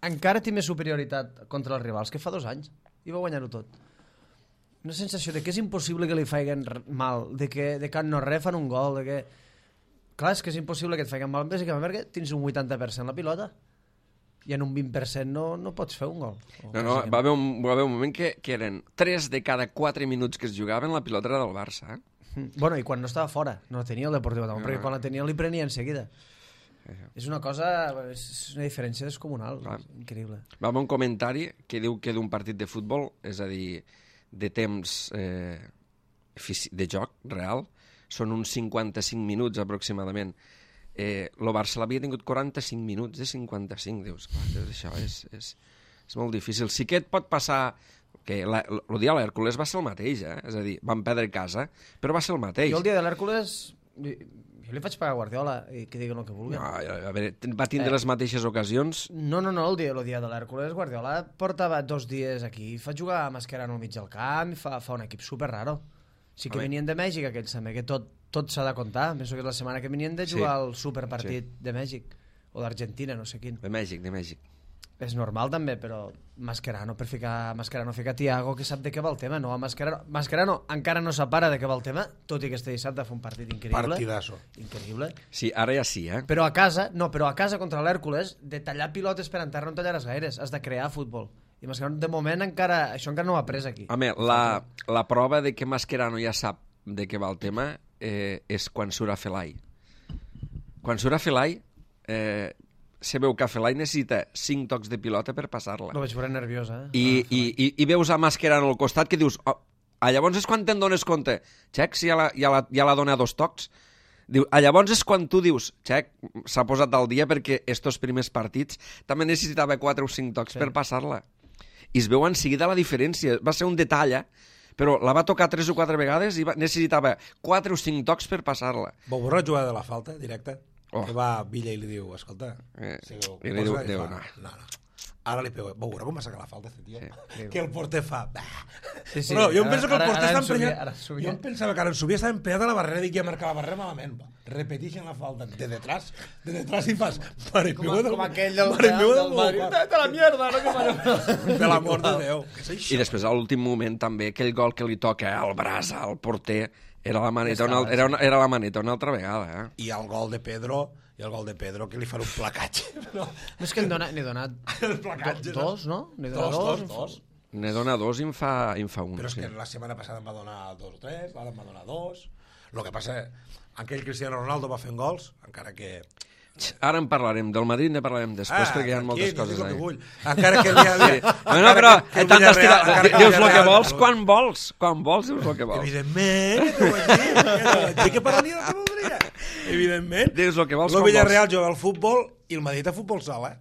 encara té més superioritat contra els rivals que fa dos anys. I va guanyar-ho tot. Una sensació de que és impossible que li faiguen mal, de que de can no re fan un gol, de que... Clar, és que és impossible que et faiguen mal, bàsicament perquè tens un vuitanta per cent la pilota i en un vint per cent no, no pots fer un gol. No, no, va haver un, va haver un moment que, que eren tres de cada quatre minuts que es jugaven la pilota era del Barça, eh? Bueno, i quan no estava fora, no la tenia el Deportiu Tamón, no. perquè quan la tenia li prenia en seguida. És una cosa, és una diferència descomunal, Clar. increïble. Va haver un comentari que diu que d'un partit de futbol, és a dir, de temps eh, de joc real, són uns cinquanta-cinc minuts aproximadament. Eh, el Barça l'havia tingut quaranta-cinc minuts de cinquanta-cinc, dius, clar, dius, això és, és, és molt difícil. Sí que et pot passar que la, el dia de l'Hèrcules va ser el mateix, eh? És a dir, van perdre casa, però va ser el mateix. Jo el dia de l'Hèrcules, jo li faig pagar a Guardiola i que diguen el que vulgui. No, a veure, va tindre Eh. les mateixes ocasions. No, no, no, el dia, el dia de l'Hèrcules, Guardiola portava dos dies aquí, fa jugar a Mascherano al mig del camp, fa, fa un equip super raro. Sí que A venien de Mèxic, aquells també, que tot, tot s'ha de comptar. Penso que és la setmana que venien de jugar Sí. al superpartit sí. de Mèxic, o d'Argentina, no sé quin. De Mèxic, de Mèxic. És normal també, però Mascherano per ficar Mascherano fica Thiago que sap de què va el tema, no a Mascherano. Mascherano encara no s'apara de què va el tema, tot i que este dissabte fa un partit increïble. Partidazo. Increïble. Sí, ara ja sí, eh? Però a casa, no, però a casa contra l'Hèrcules, de tallar pilotes per enterrar no en tallaràs gaires, has de crear futbol. I Mascherano de moment encara, això encara no ho ha pres aquí. Home, la, la prova de que Mascherano ja sap de què va el tema eh, és quan surt a Felai. Quan surt a Felai, eh, se veu que Felai necessita cinc tocs de pilota per passar-la. Lo veig veure nerviosa, eh? I, i, i, i veus a Mascherano al costat que dius... Oh, a llavors és quan te'n dones compte. Xec, si ja la, ja la, ja la dona dos tocs. Diu, a llavors és quan tu dius, Xec, s'ha posat al dia perquè estos primers partits també necessitava quatre o cinc tocs sí. per passar-la. I es veu en seguida la diferència. Va ser un detall, eh? Però la va tocar tres o quatre vegades i va, necessitava quatre o cinc tocs per passar-la. Vau veure la jugada de la falta, directa? Oh. Que va Villa i li diu, escolta... Eh, si i li diu, i Déu, fa, no. no, no. Ara li pego. Vau veure com va sacar la falta, este tio? Sí. Que el porter fa... Sí, sí, no, jo em ara- penso que el ara- porter ara està en subia, emprenyat... ara en subia. Jo em pensava que ara en subia estava emprenyat a la barrera i dic que ja marcava la barrera malament. Va. Repetixen la falta de detrás, de detrás i fas... Mare Com, meva a, del- com aquell del, mare del, meva del Madrid. Déu, De la mierda, no que fa per l'amor de Déu. Què és això? I després, a l'últim moment, també, aquell gol que li toca al braç, al porter, era la maneta, una, era, una, era la maneta una altra vegada, eh? I el gol de Pedro, i el gol de Pedro, que li fan un placatge. No, No és que n'he donat, n'he donat el placatge. do, dos, no? N'he donat Dos, dos. dos, dos. Ne dona dos i en fa, i en fa un. Però és sí. que la setmana passada em va donar dos o tres, ara em va donar dos. El que passa, aquell Cristiano Ronaldo va fent gols, encara que... Ara en parlarem, del Madrid ne parlarem després, perquè hi ha moltes tranquil, coses dic el que ahí. vull. Encara que... Li, li, No, no, però que el tant Villarreal- estirar... encara que el Dius el que Villarreal- vols, quan vols. Quan vols, dius el que vols. Evidentment, que t'ho vaig dir, que t'ho vaig dir que pararia el que voldria. Evidentment. Dius el que vols, El quan Villarreal juga al futbol i el Madrid a futbol sala.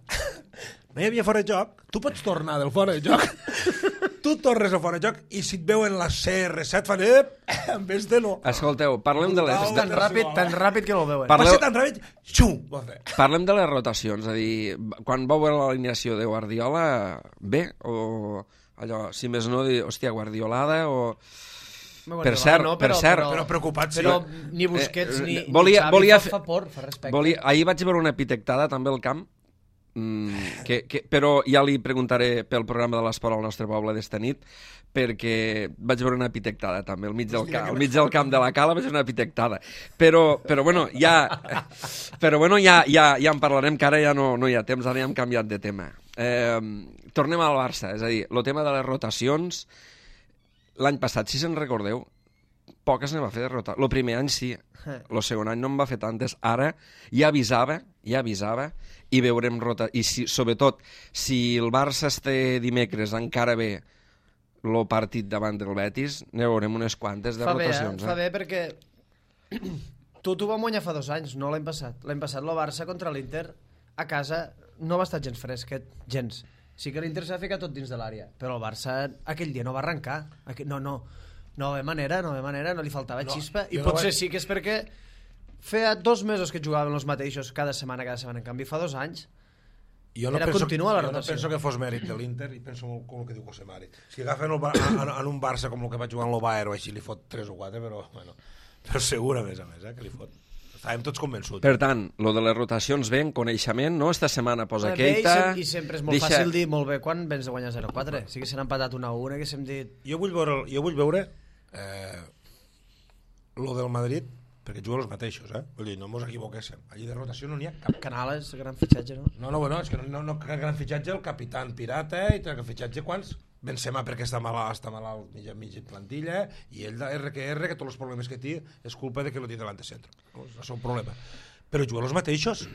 No hi havia fora de joc. Tu pots tornar del fora de joc. Tu tornes al fora de joc i si et veuen la C R set fan... Ep, amb este no. Escolteu, parlem de les... És tan ràpid, tan ràpid que no el veuen. Parleu- Va ser tan ràpid, xu, va fer. Parlem de les rotacions, és a dir, quan vau veure l'alineació de Guardiola, bé, o allò, si més no, dir, hòstia, Guardiolada, o... Guardiola Per cert, no, per cert. Però preocupats, sí. Però ni Busquets Eh, ni, volia- ni Xavi volia fa, fer- fa por, fa respecte. Volia, ahir vaig veure una pitectada també al camp, mm, que, que, però ja li preguntaré pel programa de l'esport al nostre poble d'esta nit, perquè vaig veure una pitectada també, al mig del, camp, al mig del camp de la Cala vaig veure una pitectada. Però, però bueno, ja, però bueno, ja, ja, ja en parlarem, que ara ja no, no hi ha temps, ara ja hem canviat de tema. Eh, tornem al Barça, és a dir, el tema de les rotacions, l'any passat, si se'n recordeu, poques ne va fer de rotar. El primer any sí, el segon any no en va fer tantes. Ara ja avisava, ja avisava, i veurem rota... I si, sobretot, si el Barça este dimecres encara ve el partit davant del Betis, ne veurem unes quantes de Fa bé, eh? rotacions. Fa bé perquè tu t'ho vam guanyar fa dos anys, no l'any passat. L'any passat el Barça contra l'Inter a casa no va estar gens fresquet, gens. Sí que l'Inter s'ha ficat tot dins de l'àrea, però el Barça aquell dia no va arrencar. Aquell... No, no, no va haver manera, no va haver manera, no li faltava No, xispa, i jo no potser vaig- sí que és perquè feia dos mesos que jugaven els mateixos cada setmana, cada setmana. En canvi, fa dos anys Jo no Era penso, continuar la jo no rotació. penso que fos mèrit de l'Inter i penso molt com el que diu José Mari. Si agafen el, Bar- en, en un Barça com el que va jugar en el Bayern o així li fot tres o quatre, però, bueno, però segur a més a més, eh, que li fot. Estàvem tots convençuts. Per tant, lo de les rotacions ve en coneixement, no? Esta setmana posa Bé, i, Keita... sem i sempre és molt deixa- fàcil dir molt bé quan vens de guanyar zero a quatre. Sí que s'han empatat una a una, que s'hem dit... Jo vull veure, jo vull veure eh, lo del Madrid, perquè juguen els mateixos, eh? Vull dir, no mos equivoquéssim. Allí de rotació no n'hi ha cap. Canales, gran fitxatge, no? No, no, bueno, és que no, no, no que gran fitxatge el capità Pirata i que fitxatge quants? Benzema perquè està malalt, està malalt mitja, mitja plantilla i ell de R que R, que tots els problemes que té és culpa de que no té davant de centre. No? És el seu problema. però juguen els mateixos.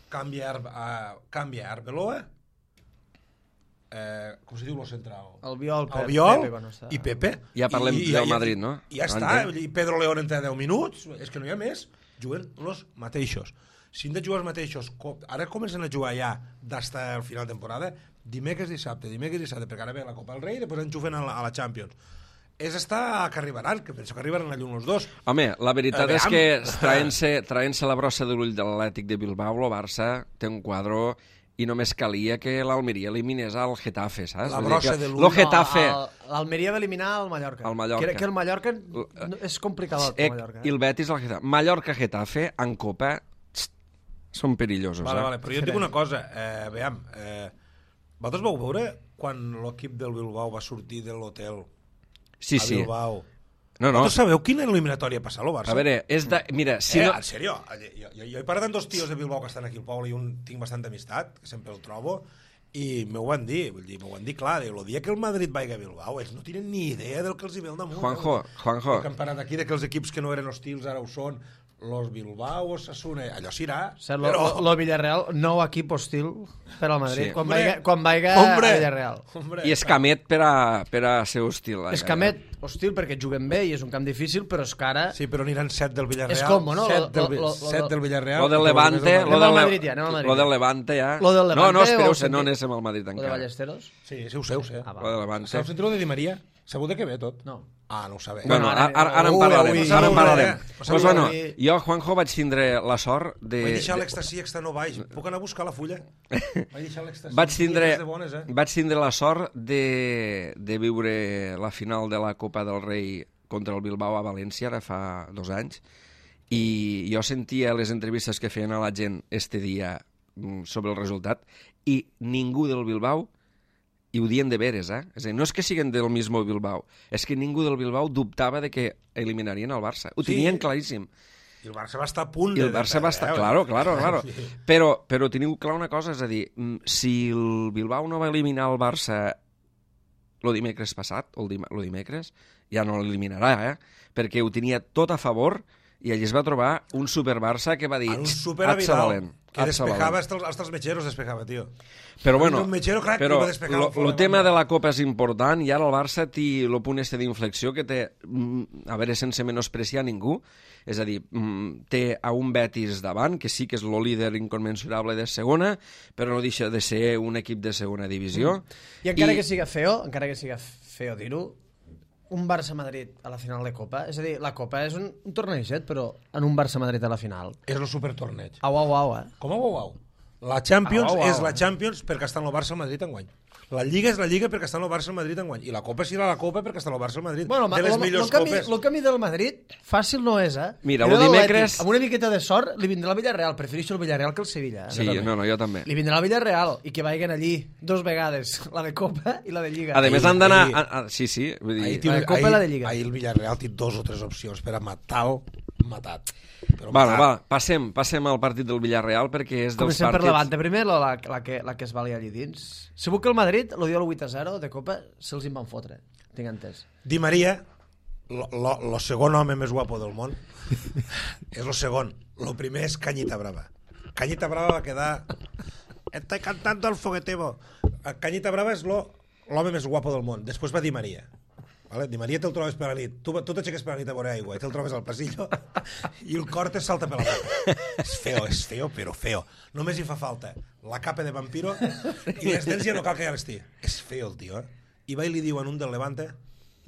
Canvia, uh, canvia Arbeloa, eh, com se diu el central? Albiol, Pepe, Albiol Pepe, quan està... i Pepe. Ja parlem I, i, del i, Madrid, no? I ja està, i Pedro León entra deu minuts, és que no hi ha més, juguen els mateixos. Si hem de jugar els mateixos, ara comencen a jugar ja d'hasta el final de temporada, dimecres, dissabte, dimecres, dissabte, perquè ara ve la Copa del Rei i després enxufen a la, a la Champions. És estar que arribaran, que penso que arribaran a llum els dos. Home, la veritat Eh, és que traient-se traient la brossa de l'ull de l'Atlètic de Bilbao, el Barça té un quadre i només calia que l'Almeria eliminés al Getafe, saps? La Vull dir brossa que de l'ull. Lo Getafe... No, l'Almeria va eliminar el Mallorca. El Mallorca. Que, que el Mallorca no, és complicat, el Mallorca. I el Betis al Getafe. Mallorca-Getafe, en Copa, txt, són perillosos. Vale, eh? vale, però jo et dic una cosa, eh, veiem, eh, vosaltres vau veure quan l'equip del Bilbao va sortir de l'hotel Sí, a sí. Bilbao? No, no. Vosaltres sabeu quina eliminatòria passa al Barça? A veure, és de... Mira, si eh, no... en sèrio, jo, jo, jo he parlat amb dos tios de Bilbao que estan aquí al poble i un tinc bastanta amistat, que sempre el trobo, i m'ho van dir, vull dir, m'ho van dir clar, el dia que el Madrid vagi a Bilbao, ells no tenen ni idea del que els hi ve al damunt. Juanjo, eh? Juanjo. El campionat aquí, de que els equips que no eren hostils ara ho són, los Bilbao, Osasuna, allò serà, Ser, lo, però... lo, lo Villarreal, nou equip hostil per al Madrid, Sí. quan, Hombre, vaiga, quan vaiga hombre, a Villarreal. Hombre, I Escamet per a, per a ser hostil. eh? Escamet, hostil, perquè juguen bé i és un camp difícil, però és que ara... Sí, però aniran set del Villarreal. És com, no? Set del, Lo- lo- lo- set del Villarreal. Lo del Levante... Anem Lo al del, Madrid ja, anem al Madrid lo del ja. Levante ja... Lo del No, no, Levante espereu, o se no sentit- anéssim al Madrid O de encara. Ballesteros? Sí, sí, ho sé, ho sé. Ah, va. Lo de Levante. Sabeu sentir lo de Di Maria? Segur de que ve tot? No. Ah, no ho sabeu. Bueno, Bueno, ara, ara- ara, ara en Ui, parlarem. avui- Ara en parlarem. avui- Pues, avui- bueno, avui- jo, Juanjo, vaig tindre la sort de... Vaig deixar de- l'èxtasi extra no baix. Puc anar a buscar la fulla? Vaig deixar l'èxtasi. Vaig tindre, De bones, eh? vaig tindre la sort de, de viure la final de la Copa del Rei contra el Bilbao a València, ara fa dos anys, i jo sentia les entrevistes que feien a la gent este dia mm, sobre el resultat, i ningú del Bilbao, i ho dien de veres, eh? És a dir, no és que siguin del mismo Bilbao, és que ningú del Bilbao dubtava de que eliminarien el Barça. Ho Sí. tenien claríssim. I el Barça va estar a punt. I el de- Barça va estar... eh? Claro, claro, claro. Sí. Però, però teniu clar una cosa, és a dir, mm, si el Bilbao no va eliminar el Barça el dimecres passat, o el, dim el dimecres, ja no l'eliminarà, eh? Perquè ho tenia tot a favor i ell es va trobar un super Barça que va dir... En un "Txt, super atza Vidal, valent, que atza despejava valent". hasta els, hasta els metgeros, despejava, tio. Però bueno, un metgero crac però que va despejar lo, el fora lo de tema banda. de la Copa és important i ara el Barça té el punt este d'inflexió que té, mm, a veure, sense menospreciar ningú, és a dir, mm, té a un Betis davant, que sí que és el líder inconmensurable de segona, però no deixa de ser un equip de segona divisió. I encara I- que siga feo, encara que siga feo dir-ho, un Barça-Madrid a la final de Copa, és a dir, la Copa és un, un torneixet, però en un Barça-Madrid a la final. És el supertorneig. Au, au, au, eh? Com a au, au. La Champions Au, au, au. és la Champions perquè està en el Barça al Madrid enguany. La Lliga és la Lliga perquè està en el Barça al Madrid enguany. I la Copa serà la Copa perquè està en el Barça al Madrid. Bueno, de les lo, millors lo, camí, copes. lo camí del Madrid fàcil no és, eh? Mira, Era lo l'Atlètic. dimecres- Amb una miqueta de sort li vindrà el Villarreal. Prefereixo el Villarreal que el Sevilla. Eh? Sí, no, no, jo també. Li vindrà el Villarreal i que vagin allí dos vegades, la de Copa i la de Lliga. A més, Ahir- han d'anar... ahir- a- a- Sí, sí, vull Ahir, dir... tio, La de Copa i ahir, la de Lliga. ahir el Villarreal té dos o tres opcions per a matar-lo, matat. Però Bueno, matat. va, passem, passem al partit del Villarreal perquè és dels Comencem per partits... Levante primer, la, la, la, que, la que es vali allí dins. Segur que el Madrid, lo dio el vuit a zero de Copa, se'ls en van fotre. Tinc entès. Di Maria, lo, lo, lo segon home més guapo del món, és lo segon. Lo primer és Cañita Brava. Cañita Brava va quedar... Estoy cantando el foguetebo. Cañita Brava és lo- l'home més guapo del món. Després va Di Maria. Vale? Di Maria te'l trobes per la nit. Tu, tu t'aixeques per la nit a veure aigua i te'l trobes al passillo i el cor te salta per la boca. És feo, és feo, però feo. Només hi fa falta la capa de vampiro i les dents ja no cal que ja les tingui. És feo el tio, eh? I va i li diu en un del Levante: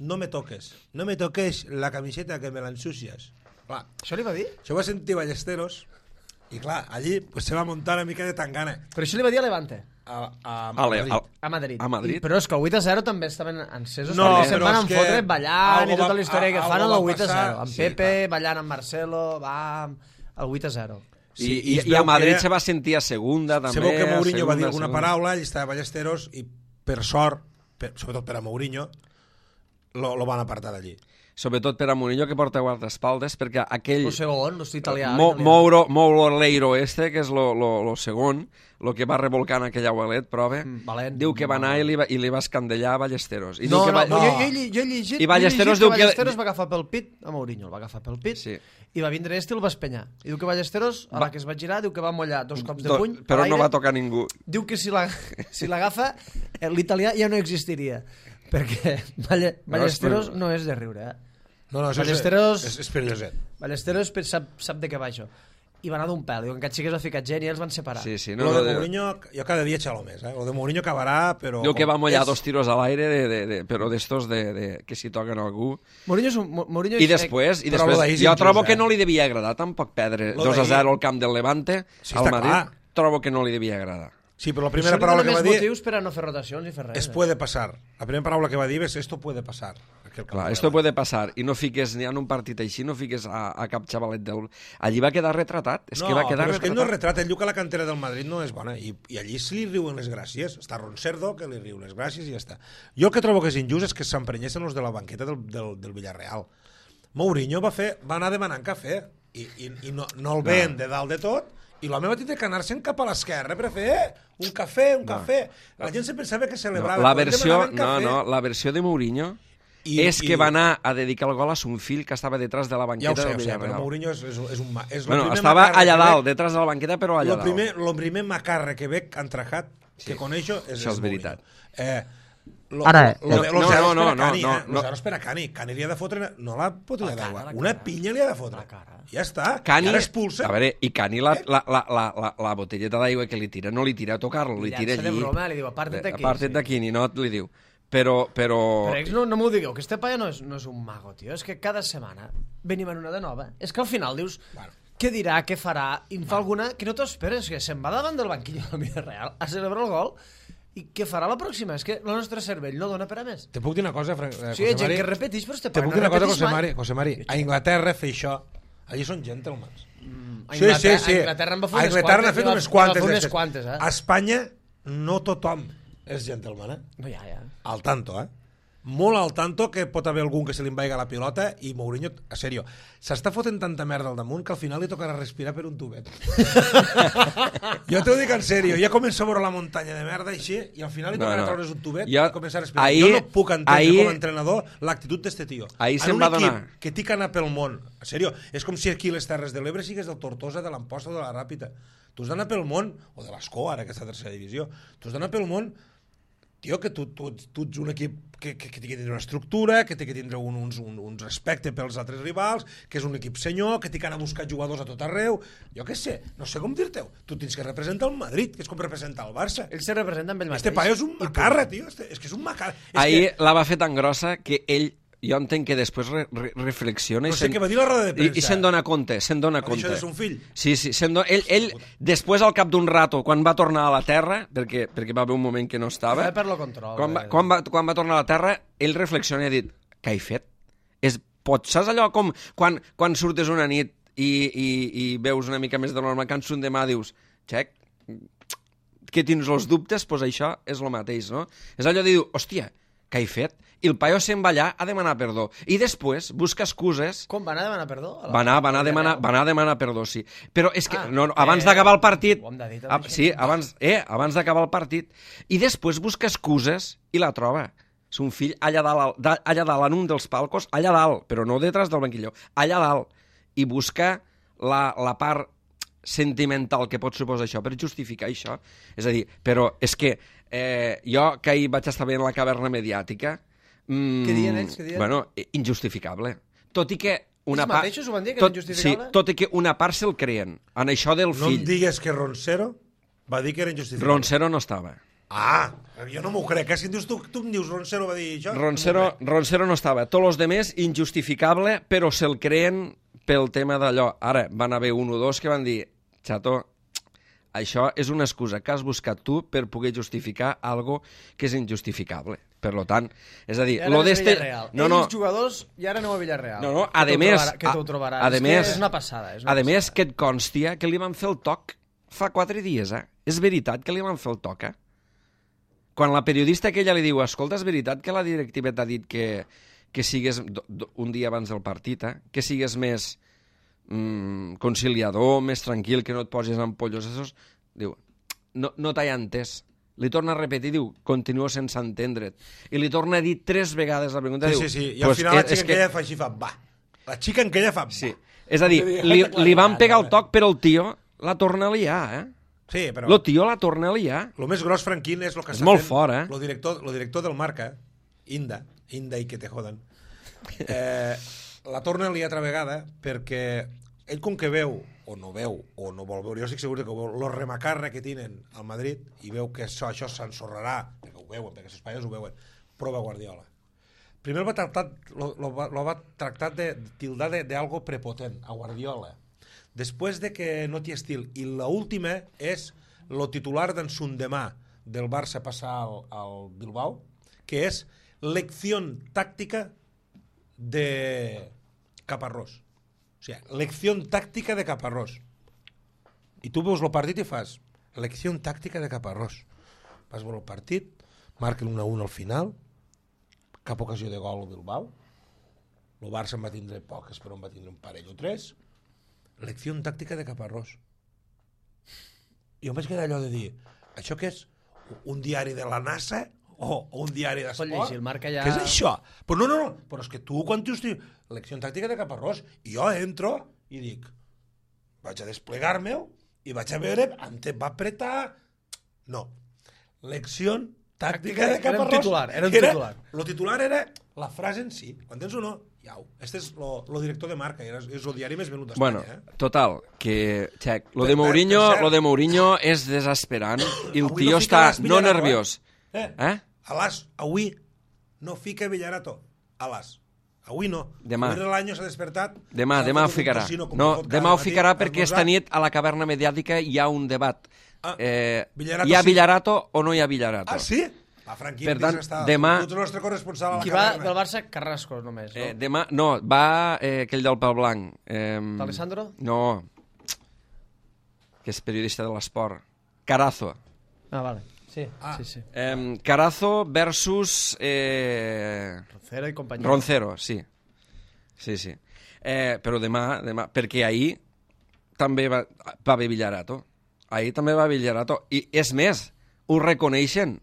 no me toques, no me toques la camiseta que me l'ensucies. Clar, Això li va dir? això va sentir Ballesteros i clar, allí pues, se va muntar una mica de tangana Però això li va dir a Levante, a, a, a Ale, Madrid. al, a Madrid. A Madrid. I, però és que el vuit a zero també estaven encesos, No, perquè se'n però van és en que fotre ballant algo i tota va- la història que algo fan a va la vuit a zero. passar, Amb sí, Pepe, clar. ballant amb Marcelo, va al vuit a zero. I, Sí, i, es i veu a Madrid que- se va sentir a segunda, també. Se veu que a Mourinho va dir segunda, alguna segunda. paraula, ell estava a Ballesteros i per sort, per, sobretot per a Mourinho, lo, lo van apartar d'allí. sobretot per a Murillo, que porta guardaespaldes, perquè aquell... El segon, el italià. Mo, Mouro, Mouro Leiro este, que és lo, lo, lo segon, el que va revolcant aquell abuelet, prova, Mm, valent. diu que va anar i li va, i li va escandellar a Ballesteros. I No, diu que no, va... no, jo, jo, he lli- jo he llegit, I Ballesteros jo he diu llegit que que- Ballesteros va agafar pel pit a Mourinho, el va agafar pel pit Sí. i va vindre este i el va espanyar. I diu que Ballesteros, a la que es va girar, diu que va mollar dos cops de Do- puny Però a no l'aire. va tocar ningú. Diu que si la- si l'agafa, eh, l'italià ja no existiria, perquè Balle, Ballesteros no és de riure, eh? No, no, això Ballesteros- és, és, és perilloset. Ballesteros sap, sap de què va això. I va anar d'un pèl, diu que aquest xic es va ficar gent i els van separar. Sí, sí. No, No, lo no, de de- Mourinho, jo cada dia xalo més, eh? Lo de Mourinho acabarà, però... Diu que va mollar és- dos tiros a l'aire, de, de, de, però d'estos de, de, que si toquen algú. Mourinho és un... Mo- Mourinho I és- després, i Però després lo d'ahir és jo injust, trobo que eh? no li devia agradar tampoc perdre Lo dos a d'ahir- zero al camp del Levante, Sí, al està Madrid. clar. Trobo que no li devia agradar. Sí, però la Això primera li paraula dona que va més dir motius per a no fer rotacions i fer res. es eh? puede pasar. La primera paraula que va dir és esto puede pasar. Aquí al camp Clar, del esto Levante. puede pasar. I no fiques ni en un partit així, no fiques a, a cap xavalet del... Allí va quedar retratat. És no, que va quedar però és que ell no retratat. retrata, ell diu que la cantera del Madrid no és bona i, i allí se li riuen les gràcies. Està Roncerdo, que li riu les gràcies i ja està. Jo el que trobo que és injust és que s'emprenyessin els de la banqueta del, del, del Villarreal. Mourinho va, fer, va anar demanant cafè i, i, i no, no el veien de dalt de tot i l'home va tindre que anar-se'n cap a l'esquerra per fer un cafè, un cafè. La gent se pensava que No, celebrava. la quan versió, demanaven no, cafè, no, la versió de Mourinho I- és que i- va anar a dedicar el gol a son fill que estava detrás de la Ja banqueta ho sé, del ja ho sé, però Villarreal. Mourinho és, és, és un... ma- És lo Bueno, primer estava macarra allà que dalt, veig- detrás de la banqueta, però allà Lo dalt. primer, lo primer macarra que veig entrajat que coneixo és, Això és és veritat. Mourinho. Eh, lo, Ara, lo, lo, no, los no, zeros no, per a no, Cani, no, eh? no. Los zeros per a Cani. Cani li ha de fotre, no la botella cara, d'aigua, la una cara. pinya li ha de fotre. La cara. Ja està. Cani, I ara expulsa. a veure, i Cani la, la, la, la, la, la botelleta d'aigua que li tira, no li tira a tocar-lo, li tira Llança de allí. broma, li diu, aparta't d'aquí, Aparta't sí. d'aquí, ni no li diu. Però, però... Però ex, no, no m'ho digueu, que este paio no és, no és un mago, tio. És que cada setmana venim en una de nova. És que al final dius, Bueno. què dirà, què farà, i en fa alguna que no t'ho esperes, que se'n va davant del banquillo del Villarreal a celebrar el gol, i què farà la pròxima? És que el nostre cervell no dona per a més. Te puc dir una cosa, Fran... eh, Sí, hi ha José gent Mari? que repeteix, però este Te paio puc no dir una cosa, repeteix José mai. Mari? José Mari, a Inglaterra fer això, allí són gentlemans. A Sí, sí, Inglaterra- sí. A Inglaterra en va fer A unes Inglaterra n'ha quantes, fet i va- unes i va quantes. fer unes d'estes. quantes, eh? A Espanya no tothom és gentleman, eh? No, ja, ja. Al tanto, eh? Molt al tanto que pot haver algun que se li envaiga la pilota i Mourinho, a sèrio, s'està fotent tanta merda al damunt que al final li tocarà respirar per un tubet. Jo t'ho dic en sèrio, ja comença a veure la muntanya de merda així i al final li No, tocarà no. treure's un tubet Jo- i començar a respirar. ahir- jo no puc entendre ahir- com a entrenador l'actitud d'este tio. Ahir en se'n un va equip donar. que té que anar pel món, en sèrio, és com si aquí les Terres de l'Ebre sigues del Tortosa, de l'Amposta o de la Ràpita. Tu has d'anar pel món, o de l'Escó, ara que és la tercera divisió, tu has d'anar pel món, tio, que tu, tu, tu ets un equip que, que, que té que tindre una estructura, que té que tindre un, uns, un, un respecte pels altres rivals, que és un equip senyor, que té que anar a buscar jugadors a tot arreu. Jo què sé, no sé com dir-te-ho. Tu tens que representar el Madrid, que és com representar el Barça. Ell se representa amb ell mateix. Este paio és un macarra, tio. Este, és que és un macarra. És Ahir que, la va fer tan grossa que ell, jo entenc que després re, re, reflexiona no i sé se'n què va dir la roda de i, premsa. i se'n dona compte, se'n dona Va dir compte. això de son fill. Sí, sí, se'n do... ell, ell, després al cap d'un rato, quan va tornar a la Terra, perquè, perquè va haver un moment que no estava, Va perdre el control. quan va, eh? quan, va, quan va tornar a la Terra, ell reflexiona i ha dit, què he fet? És, pots, saps allò com quan, quan surtes una nit i, i, i veus una mica més de normal, que un demà dius, xec, que tens els dubtes, doncs això és el mateix, no? És allò de dir, hòstia, què he fet? I el paio se'n va allà a demanar perdó. I després busca excuses. Com va anar a demanar perdó? A la- Va anar, va anar, a al demanar, Villarreal? va anar a demanar perdó, sí. Però és que, Ah, no, no, abans eh, d'acabar el partit... ho hem de dir, també, Ah, això. sí, abans, eh, abans d'acabar el partit. I després busca excuses i la troba. Son fill allà dalt, al- da- allà dalt, en un dels palcos, allà dalt, però no detrás del banquillo, allà dalt. I busca la, la part sentimental que pot suposar això per justificar això. És a dir, però és que eh, jo que ahir vaig estar veient la caverna mediàtica... Mm, Què diuen ells, què diuen? Bueno, eh, injustificable. Tot i que una Ells part... mateixos ho van dir, que tot, era injustificable? Sí, tot i que una part se'l creen. En això del No em fill. digues que Roncero va dir que era injustificable. Roncero no estava. Ah, jo no m'ho crec. Eh? Si em dius, tu, tu em dius Roncero va dir això... Roncero, no m'ho crec. Roncero no estava. Tots els demés, injustificable, però se'l creen pel tema d'allò. Ara, van haver un o dos que van dir, xato, això és una excusa que has buscat tu per poder justificar algo que és injustificable. Per lo tant, és a dir, I ara lo ves d'este... Villarreal. No, Ells, no, els jugadors, i ara aneu a Villarreal. no, no, Que a t'ho més... trobarà- Que t'ho trobaràs. A És més, que és una passada. És una a més, passada. que et constia que li van fer el toc fa quatre dies, eh? És veritat que li van fer el toc, eh? Quan la periodista aquella li diu, escolta, és veritat que la directiva t'ha dit que, que sigues un dia abans del partit, eh? Que sigues més mm, conciliador, més tranquil, que no et posis ampollos. Esos. Diu, no, no t'he entès. Li torna a repetir, diu, continuo sense entendre't. I li torna a dir tres vegades la pregunta. Sí, diu, sí, sí. I al pues, final la és, xica és en que... aquella fa així, fa, va. La xica en aquella fa, va. Sí. És a dir, li, li van pegar el toc, però el tio la torna a liar, eh? Sí, però... El tio la torna a liar. Lo més gros, Franquín, és el que És està molt fent... fort, eh? Lo director, lo director del Marca, Inda, Inda i que te jodan, eh, la torna a liar altra vegada perquè ell com que veu, o no veu, o no vol veure, jo estic segur que ho veu, lo remacarra que tenen al Madrid, i veu que això, això s'ensorrarà, perquè ho veuen, perquè els espaies ho veuen, prova Guardiola. Primer el va tractar, lo, lo, va, lo va tractar de tildar de, de algo prepotent, a Guardiola. Després de que no té estil. I l'última és lo titular d'en Sundemà del Barça passar al, al Bilbao, que és lecció tàctica de Caparrós. O sigui, lecció tàctica de Caparrós. I tu veus el partit i fas lecció tàctica de Caparrós. Vas veure el partit, marquen un a un al final, cap ocasió de gol al Bilbao, el Barça en va tindre poques, però en va tindre un parell o tres. Lecció tàctica de Caparrós. I jo em vaig quedar allò de dir, això què és? Un diari de la NASA? O un diari d'esport? Pot llegir, el Marca ja... Què és això? Però no, no, no, però és que tu quan dius lecció tàctica de Caparrós, i jo entro i dic, vaig a desplegar-me-ho i vaig a veure, em te va apretar... No. Lecció tàctica de Caparrós. Era un titular, era un titular. Lo titular era la frase en si. Entens o no? Iau. Este és lo, lo director de Marca, és, és el diari més venut d'Espanya. Bueno, eh? total, que, check, lo Per- de Mourinho, per cert- lo de Mourinho és desesperant i el Avui tio no fica està l'As no Villarato, nerviós. Eh? Eh? A l'As, avui no fica Villarato. A l'As. Avui no. Demà. Avui l'any s'ha despertat. Demà, s'ha demà ho fotut un ficarà. casino, com No, ha fot demà cada ho ficarà matí, perquè esmorzar. esta nit a la caverna mediàtica hi ha un debat. Ah, eh, Villarato hi ha sí. Villarato o no hi ha Villarato? Ah, sí? La Franquín Per tant, està. demà- Tu ets el nostre corresponsal a la Qui va caverna. del Barça? Carrasco, només. No? Eh, demà, no, va eh, aquell del Pal Blanc. Eh, D'Alessandro? No, que és periodista de l'esport. Carazo. Ah, vale. Sí, Ah. sí, sí. Eh, Carazo versus eh, Roncero i companyia. Roncero, sí. Sí, sí. Eh, però demà, demà, perquè ahir també va, va haver Villarato. Ahir també va haver Villarato. I és més, ho reconeixen.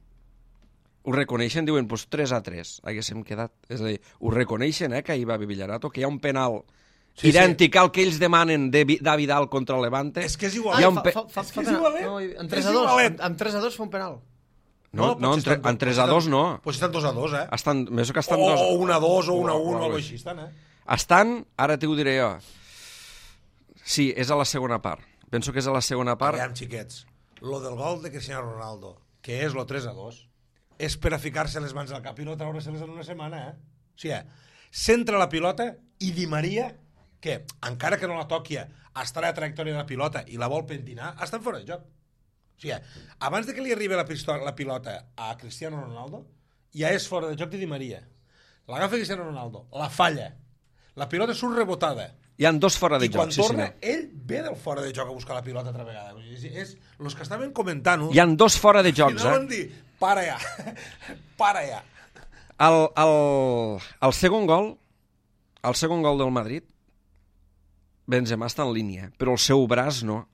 Ho reconeixen, diuen, doncs tres a tres. Haguéssim quedat. És a dir, ho reconeixen, eh, que ahir va haver Villarato, que hi ha un penal Sí, idèntic al que ells demanen de Vi- de Vidal contra el Levante. És que és Ah, igual. Hi ha un fa, pe- fa, fa, És que fa és penal. igualet. No, en És tres a dos. igualet. En, en tres a dos fa un penal. No, no, en, potser tre, estan- en tres potser a dos estan- no. Potser estan dos a dos, eh? Estan, més que estan O, dos. o un a dos, o un a un, o algo alguna així. així estan, eh? Estan, ara t'ho diré jo. Sí, és a la segona part. Penso que és a la segona part. Aviam, xiquets, lo del gol de Cristiano Ronaldo, que és lo tres a dos, és per a ficar-se les mans al cap i no treure-se-les en una setmana, eh? O sigui, centra la pilota i Di Maria, que encara que no la toqui, està a la trajectòria de la pilota i la vol pentinar, estan fora de joc. O sigui, abans de que li arribi la, pistola, la pilota a Cristiano Ronaldo, ja és fora de joc de Di Maria. L'agafa Cristiano Ronaldo, la falla, la pilota surt rebotada, Hi han dos fora de i quan joc, sí, torna, senyor. ell ve del fora de joc a buscar la pilota altra vegada. Vull dir, És, és, los que estaven comentant-ho, Hi han dos fora de jocs, anaven eh? dir, para ja, para ja. El, el, el segon gol, el segon gol del Madrid, Benzema està en línia, però el seu braç no.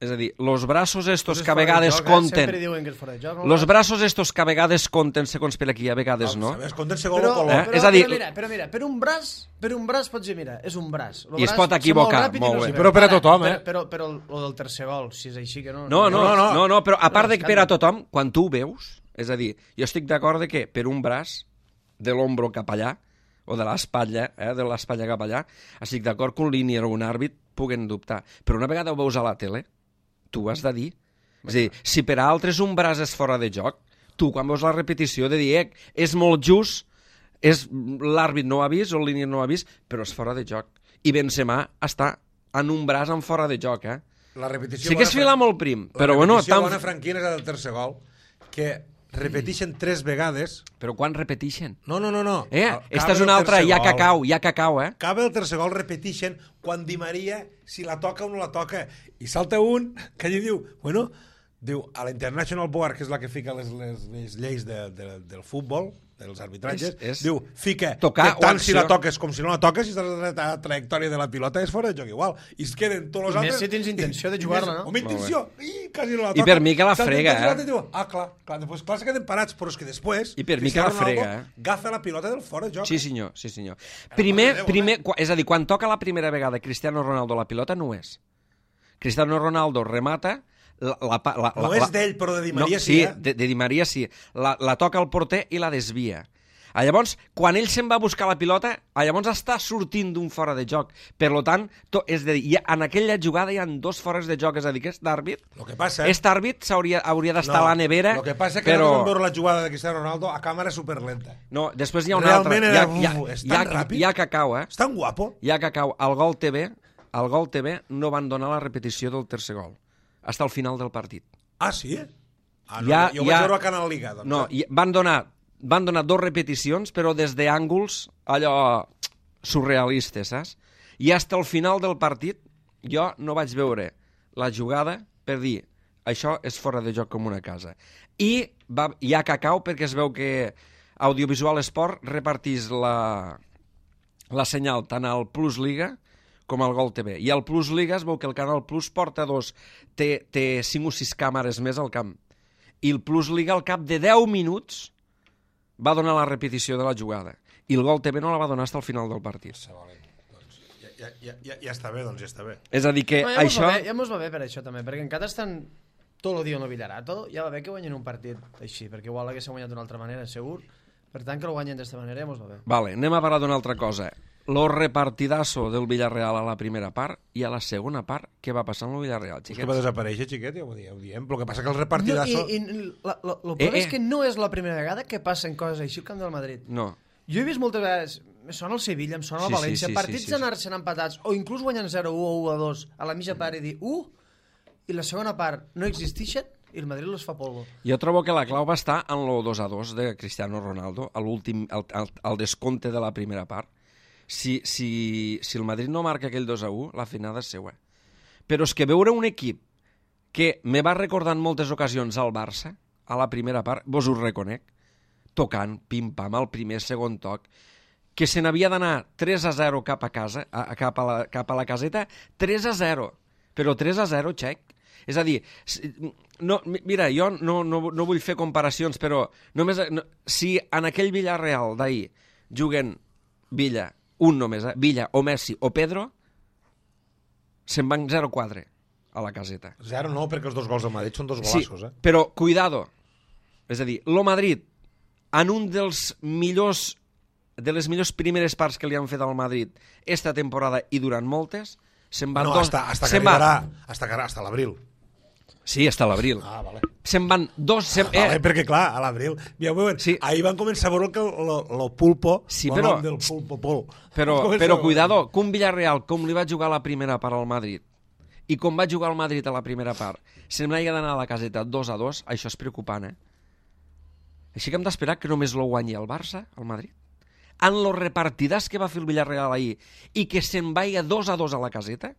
És a dir, los braços estos És que a fora de vegades joc, eh? conten... Sempre diuen que és fora de joc. Los braços estos que a vegades conten segons per aquí, a vegades no. Sabes, compten segon Però, o color. Eh? però, És a dir- però, mira, però mira, per un braç, per un braç pots dir, mira, és un braç. Lo I es braç pot ser equivocar, ràpid i molt no bé. s'hi veu. Però per a Ara, tothom, eh? Però, però, però el, el del tercer gol, si és així que no... No, no, no, no, no, però a part No, de que per a escàndol. tothom, quan tu ho veus, és a dir, jo estic d'acord de que per un braç, de l'ombro cap allà, o de l'espatlla, eh, de l'espatlla cap allà, estic d'acord que un línia o un àrbit puguen dubtar. Però una vegada ho veus a la tele, tu has de dir... És a dir, si per a altres un braç és fora de joc, tu quan veus la repetició de dir, eh, és molt just, és l'àrbit no ho ha vist o el línia no ho ha vist, però és fora de joc. I Benzema està en un braç en fora de joc, eh? La repetició Sí que és bona, filar molt prim, però bueno... La repetició Tan... bona franquina és la del tercer gol, que repeteixen tres vegades... Però quan repeteixen? No, no, no, no. Eh, Al- esta cabe és una el altra, tercer hi ha gol. cacau, hi ha cacau, eh? Cabe el tercer gol, repeteixen quan Di Maria, si la toca o no la toca. I salta un que allí diu, bueno, diu, a la International Board, que és la que fica les, les, les lleis de, de, del futbol, els arbitratges, És- és diu, fica, tocar tant o si la acció. toques com si no la toques, si estàs a la trajectòria de la pilota és fora de joc igual. I es queden tots els I més altres... si tens intenció de jugar-la, no? Home, intenció, i quasi no la I toca. per mi que la S'han frega, intentat eh? i diu, ah, clar, clar, després clar se queden parats, però és que després... I per mi que Cristiano la frega, Ronaldo eh? agafa la pilota del fora de joc. Sí, senyor, sí, senyor. Primer, Déu, primer, qua- és a dir, quan toca la primera vegada Cristiano Ronaldo la pilota, no és. Cristiano Ronaldo remata... La, la, pa- la, No la, és la- d'ell, però de Di Maria no, sí, eh? de, de Di Maria sí. La, la toca el porter i la desvia. Ah, llavors, quan ell se'n va a buscar la pilota, ah, llavors està sortint d'un fora de joc. Per lo tant, to, és de dir, hi ha, en aquella jugada hi ha dos fores de joc, és a dir, aquest àrbit, Lo que passa... aquest àrbit s'hauria hauria d'estar a la nevera, Lo que passa és que però... no vam veure la jugada de Cristiano Ronaldo a càmera superlenta. No, després hi ha una Realment altra. era- Hi ha, uf, és hi ha, tan ràpid. hi ha cacau, eh? És tan guapo. Hi ha cacau. Al Gol T V, al Gol T V no van donar la repetició del tercer gol. Hasta el final del partit. Ah, sí? Ah, no, Ja- jo ho ja- vaig veure a Canal Liga. Doncs, No, eh? i van donar, van donar dos repeticions, però des d'ànguls allò surrealistes, saps? I hasta el final del partit jo no vaig veure la jugada per dir això és fora de joc com una casa. I va, hi ha cacau perquè es veu que Audiovisual Esport repartís la, la senyal tant al Plus Liga com al Gol T V. I al Plus Liga es veu que el Canal Plus porta dos, té, té cinc o sis càmeres més al camp. I el Plus Liga al cap de deu minuts va donar la repetició de la jugada. I el Gol T V no la va donar fins al final del partit. Doncs, ja, ja, ja, ja, ja està bé, doncs ja està bé. És a dir que No, ja, això... això... va bé, ja mos va bé per això també, perquè encara estan tot el dia en el Villarato, ja va bé que guanyen un partit així, perquè igual haguessin guanyat d'una altra manera, segur. Per tant, que el guanyen d'esta manera ja mos va bé. Vale, anem a parlar d'una altra cosa. Lo repartidazo del Villarreal a la primera part i a la segona part, què va passar amb el Villarreal, És que xiquets? va desaparèixer, xiquet, ja ho diem. Ho diem. Però el que passa que el repartidazo... No, i, i la, la, lo Eh, problema eh. és que no és la primera vegada que passen coses així al camp del Madrid. No. Jo he vist moltes vegades, me sona el Sevilla, em sona Sí, el sí, València, sí, partits sí, sí, sí. d'anar-se'n empatats, o inclús guanyant zero u o u a dos a la mitja part i dir u, i la segona part no existeixen, i el Madrid los fa polvo. Jo trobo que la clau va estar en lo dos a dos de Cristiano Ronaldo, a l'últim, al, al, al descompte de la primera part. Si, si, si el Madrid no marca aquell dos a u, la finada és seua. Però és que veure un equip que me va recordar en moltes ocasions al Barça, a la primera part, vos ho reconec, tocant, pim-pam, al primer, segon toc, que se n'havia d'anar tres a zero cap a casa, a, a, cap, a la, cap a la caseta, tres a zero. Però tres a zero, xec. És a dir, si- no, mi- mira, jo no, no, no vull fer comparacions, però només, no, si en aquell Villarreal d'ahir juguen Villa, un només, eh? Villa o Messi o Pedro, se'n van zero quatre a la caseta. Zero no, perquè els dos gols del Madrid són dos Sí, golassos, eh? però cuidado. És a dir, lo Madrid, en un dels millors de les millors primeres parts que li han fet al Madrid esta temporada i durant moltes, se'n van No, dos... hasta, hasta que se'n va- arribarà, hasta, que- hasta l'abril. Sí, hasta l'abril. Ah, vale. Se'n van dos... Se'n... Ah, vale, Eh, perquè clar, a l'abril... Ja ho veuen, Sí. ahir van començar a veure que lo, lo pulpo, Sí, lo però- nom del pulpo pol. Però, Van començar però a veure. cuidado, que un Villarreal, com li va jugar a la primera part al Madrid, i com va jugar al Madrid a la primera part, se'n n'hagi d'anar a la caseta dos a dos, això és preocupant, eh? Així que hem d'esperar que només lo guanyi el Barça, el Madrid. En los repartidars que va fer el Villarreal ahir i que se'n vagi dos a dos a la caseta,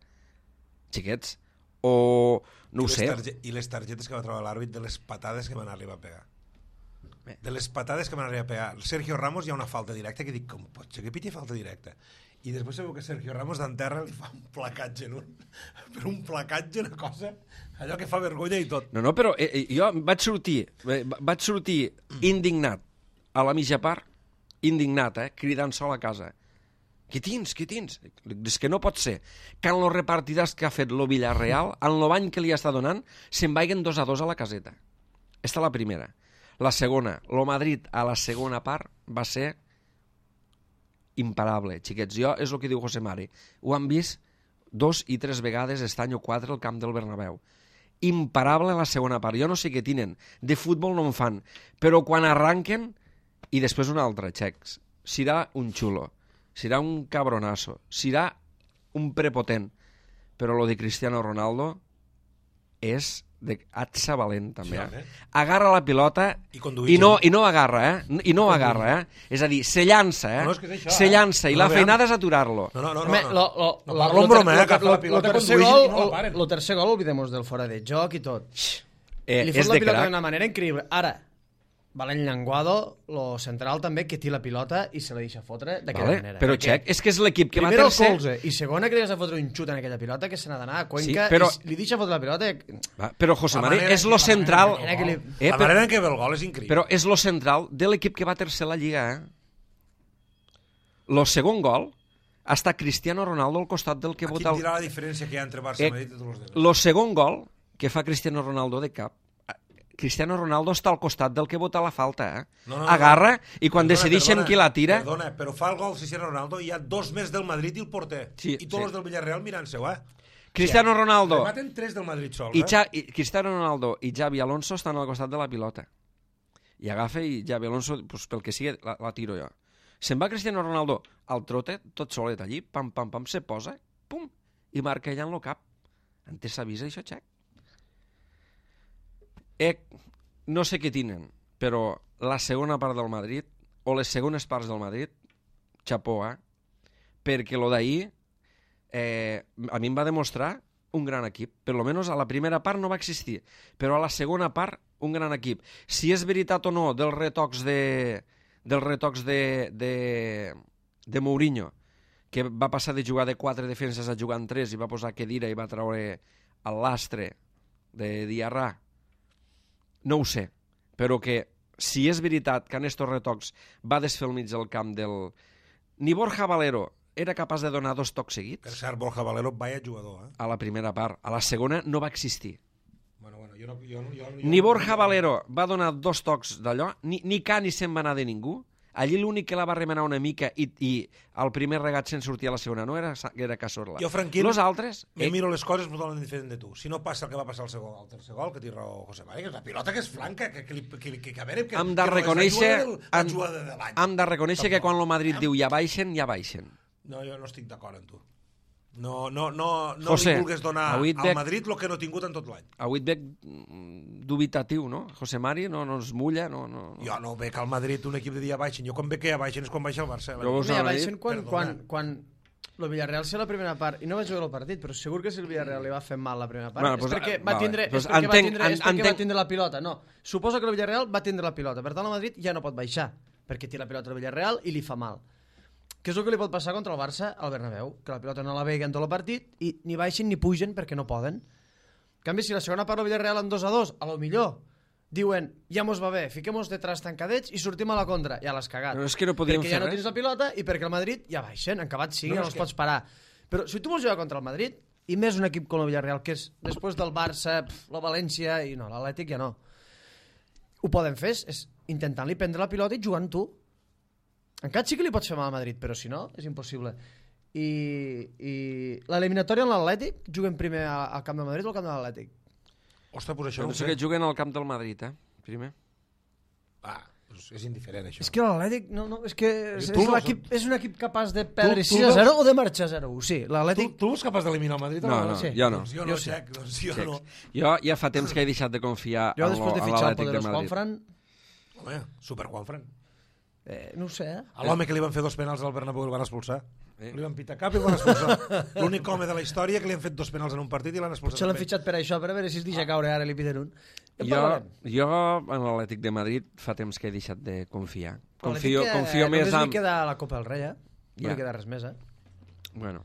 xiquets, o no I ho les sé, targe- I les targetes que va trobar l'àrbit de les patades que van arribar a pegar. Bé. De les patades que van arribar a pegar. El Sergio Ramos hi ha una falta directa que dic, com pot ser que piti falta directa? I després sabeu que Sergio Ramos d'enterra li fa un placatge en un... Però un placatge, una cosa... Allò que fa vergonya i tot. No, no, però eh, eh, jo vaig sortir, eh, vaig sortir indignat a la mitja part, indignat, eh, cridant sol a casa. Què tens, què tens? És que no pot ser que en los repartidars que ha fet lo Villarreal, en lo bany que li està donant, se'n vagin dos a dos a la caseta. Esta la primera. La segona, lo Madrid a la segona part va ser imparable, xiquets. Jo, és el que diu José Mari. Ho han vist dos i tres vegades este any o quatre al camp del Bernabéu. Imparable la segona part. Jo no sé què tenen. De futbol no en fan. Però quan arranquen, i després un altre, xecs, serà un xulo, serà un cabronazo, serà un prepotent. Però lo de Cristiano Ronaldo és de atxa valent, també. Sí, Eh? home. Agarra la pilota I conduir i no, gent. i no agarra, eh? I no agarra, eh? És a dir, se llança, eh? No, és que és això, se eh? llança, i No, la aviam. feinada és aturar-lo. No, no, no. Home, no, lo, no. lo, no lo, parlo en lo broma, ter- eh? Que lo- la lo- pilota lo tercer conduïssin gol, i no la lo- paren. lo tercer gol, olvidemos del fora de joc i tot. Eh, Li és fot la de pilota crac. d'una manera increïble. Ara, Valent Llenguado, lo central també, que té la pilota i se la deixa fotre d'aquella Vale, manera. però Perquè Xec, és que és l'equip que va primer el tercer... colze i segona que li has de fotre un xut en aquella pilota que se n'ha d'anar a Cuenca Sí, però- i li deixa fotre la pilota. Va, però José La Mari, manera és que- lo la manera central... que- Era que li- Eh, La però, manera en què ve el gol és increïble. però és lo central de l'equip que va tercer la Lliga, eh? Lo segon gol està Cristiano Ronaldo al costat del que Aquí vota et el... dirà la diferència que hi ha entre Barça Eh, i Madrid i tots els demés. Lo segon gol que fa Cristiano Ronaldo de cap, Cristiano Ronaldo està al costat del que vota la falta, eh? No, no, no. Agarra i quan Perdona, decideixen perdona, qui la tira... Perdona, però fa el gol Cristiano Ronaldo i hi ha dos més del Madrid i el porter. Sí, I tots sí. els del Villarreal mirant-se-ho, eh? Cristiano Ronaldo Rematen tres del Madrid sols, i, eh? Xa, i Cristiano Ronaldo i Xavi Alonso estan al costat de la pilota. I agafa i Xavi Alonso, pues, pel que sigui, la, la tiro jo. Se'n va Cristiano Ronaldo al trote, tot solet allí, pam, pam, pam, se posa, pum, i marca ella en el cap. Antes s'avisa això, Xec. Eh, no sé què tenen, però la segona part del Madrid, o les segones parts del Madrid, xapó, eh? Perquè lo d'ahir eh, a mi em va demostrar un gran equip. Per lo menos a la primera part no va existir, però a la segona part un gran equip. Si és veritat o no dels retocs de dels retocs de, de, de Mourinho, que va passar de jugar de quatre defenses a jugar en tres i va posar Khedira i va treure el lastre de Diarra, no ho sé, però que si és veritat que en estos retocs va desfer al mig del camp del... Ni Borja Valero era capaç de donar dos tocs Per seguits cert, Borja Valero, vaya jugador, eh? a la primera part. A la segona no va existir. Bueno, bueno, jo no... Jo, no- jo, no- Ni jo, Borja Valero va donar dos tocs d'allò, ni, ni ca ni se'n va anar de ningú. Allí l'únic que la va remenar una mica i, i el primer regat se'n sortia a la segona, no era, era Cazorla. Jo, Franquín, Los altres... Me Eh, miro les coses totalment diferent de tu. Si no passa el que va passar al segon, al tercer gol, que té raó José Mari, que és la pilota que és flanca, que, que, li- que, que, que a veure... Que, hem de que no és la reconèixer, jugada del- la hem, jugada de l'any. hem de reconèixer que Tampoc. quan el Madrid diu ja baixen, ja baixen. No, jo no estic d'acord amb tu. No, no, no, no José, li vulgues donar avui et al veig- Madrid el que no ha tingut en tot l'any. Avui et veig mm, dubitatiu, no? José Mari no, no es mulla, no... no, no. Jo no veig al Madrid un equip de dia baixen. Jo quan veig que ja baixen és quan baixa el Barça. Jo vos- Mira, anava a dir, baixen quan, perdona. quan, quan el Villarreal sé la primera part, i no vaig veure el partit, però segur que si el Villarreal li va fer mal la primera part, Bueno, és pues, perquè, eh, va vale. tindre, Pues és perquè, entenc- va, tindre, és en- perquè va entenc- tindre la pilota. No, suposo que el Villarreal va tindre la pilota, per tant el Madrid ja no pot baixar, perquè té la pilota al Villarreal i li fa mal. Què és el que li pot passar contra el Barça al Bernabéu? Que la pilota no la veguen tot el partit i ni baixen ni pugen perquè no poden. En canvi, si la segona part del Villarreal en dos a dos, a lo millor diuen, ja mos va bé, fiquem-nos detrás tancadets i sortim a la contra. Ja l'has cagat. Però és que no podíem perquè fer ja no res. tens la pilota i perquè el Madrid ja baixen, en acabat sigui, No, no, és els que- pots parar. Però si tu vols jugar contra el Madrid, i més un equip com el Villarreal, que és després del Barça, pf, la València, i no, l'Atlètic ja no. Ho poden fer, és, és intentant-li prendre la pilota i jugant tu. Encara sí que li pots fer mal al Madrid, però si no, és impossible. I, i l'eliminatòria en l'Atlètic, juguen primer a- al camp del Madrid o al camp de l'Atlètic? Ostres, pues això no ho Penso sé. que juguen al camp del Madrid, eh? Primer. Ah, doncs és indiferent, això. És que l'Atlètic, no, no, és que és, Tu és, no- l'equip, és un equip capaç de perdre tu sis a zero veus- o de marxar zero a u. Sí, Tu, l'Atlètic... tu ets capaç d'eliminar el Madrid? o No, no, sí. jo no. Doncs jo Jo no, sí. Xec, doncs jo Xecs. no. Jo ja fa temps que he deixat de confiar Jo en després de lo- en fitxar el l'Atlètic de poderós Madrid. Juanfran, Home, super Juanfran. eh, no ho sé, eh? A l'home que li van fer dos penals al Bernabéu el van expulsar. Eh. Li van pitar cap i el van expulsar. L'únic home de la història que li han fet dos penals en un partit i l'han expulsat. Potser l'han també. fitxat per això, per a veure si es deixa caure ara i li piden un. En Jo, parlarem. jo en l'Atlètic de Madrid fa temps que he deixat de confiar. Però Confio, l'Atlètic, eh, confio més Només en... li queda la Copa del Rei, eh? No Ja. li queda res més, eh? Bueno.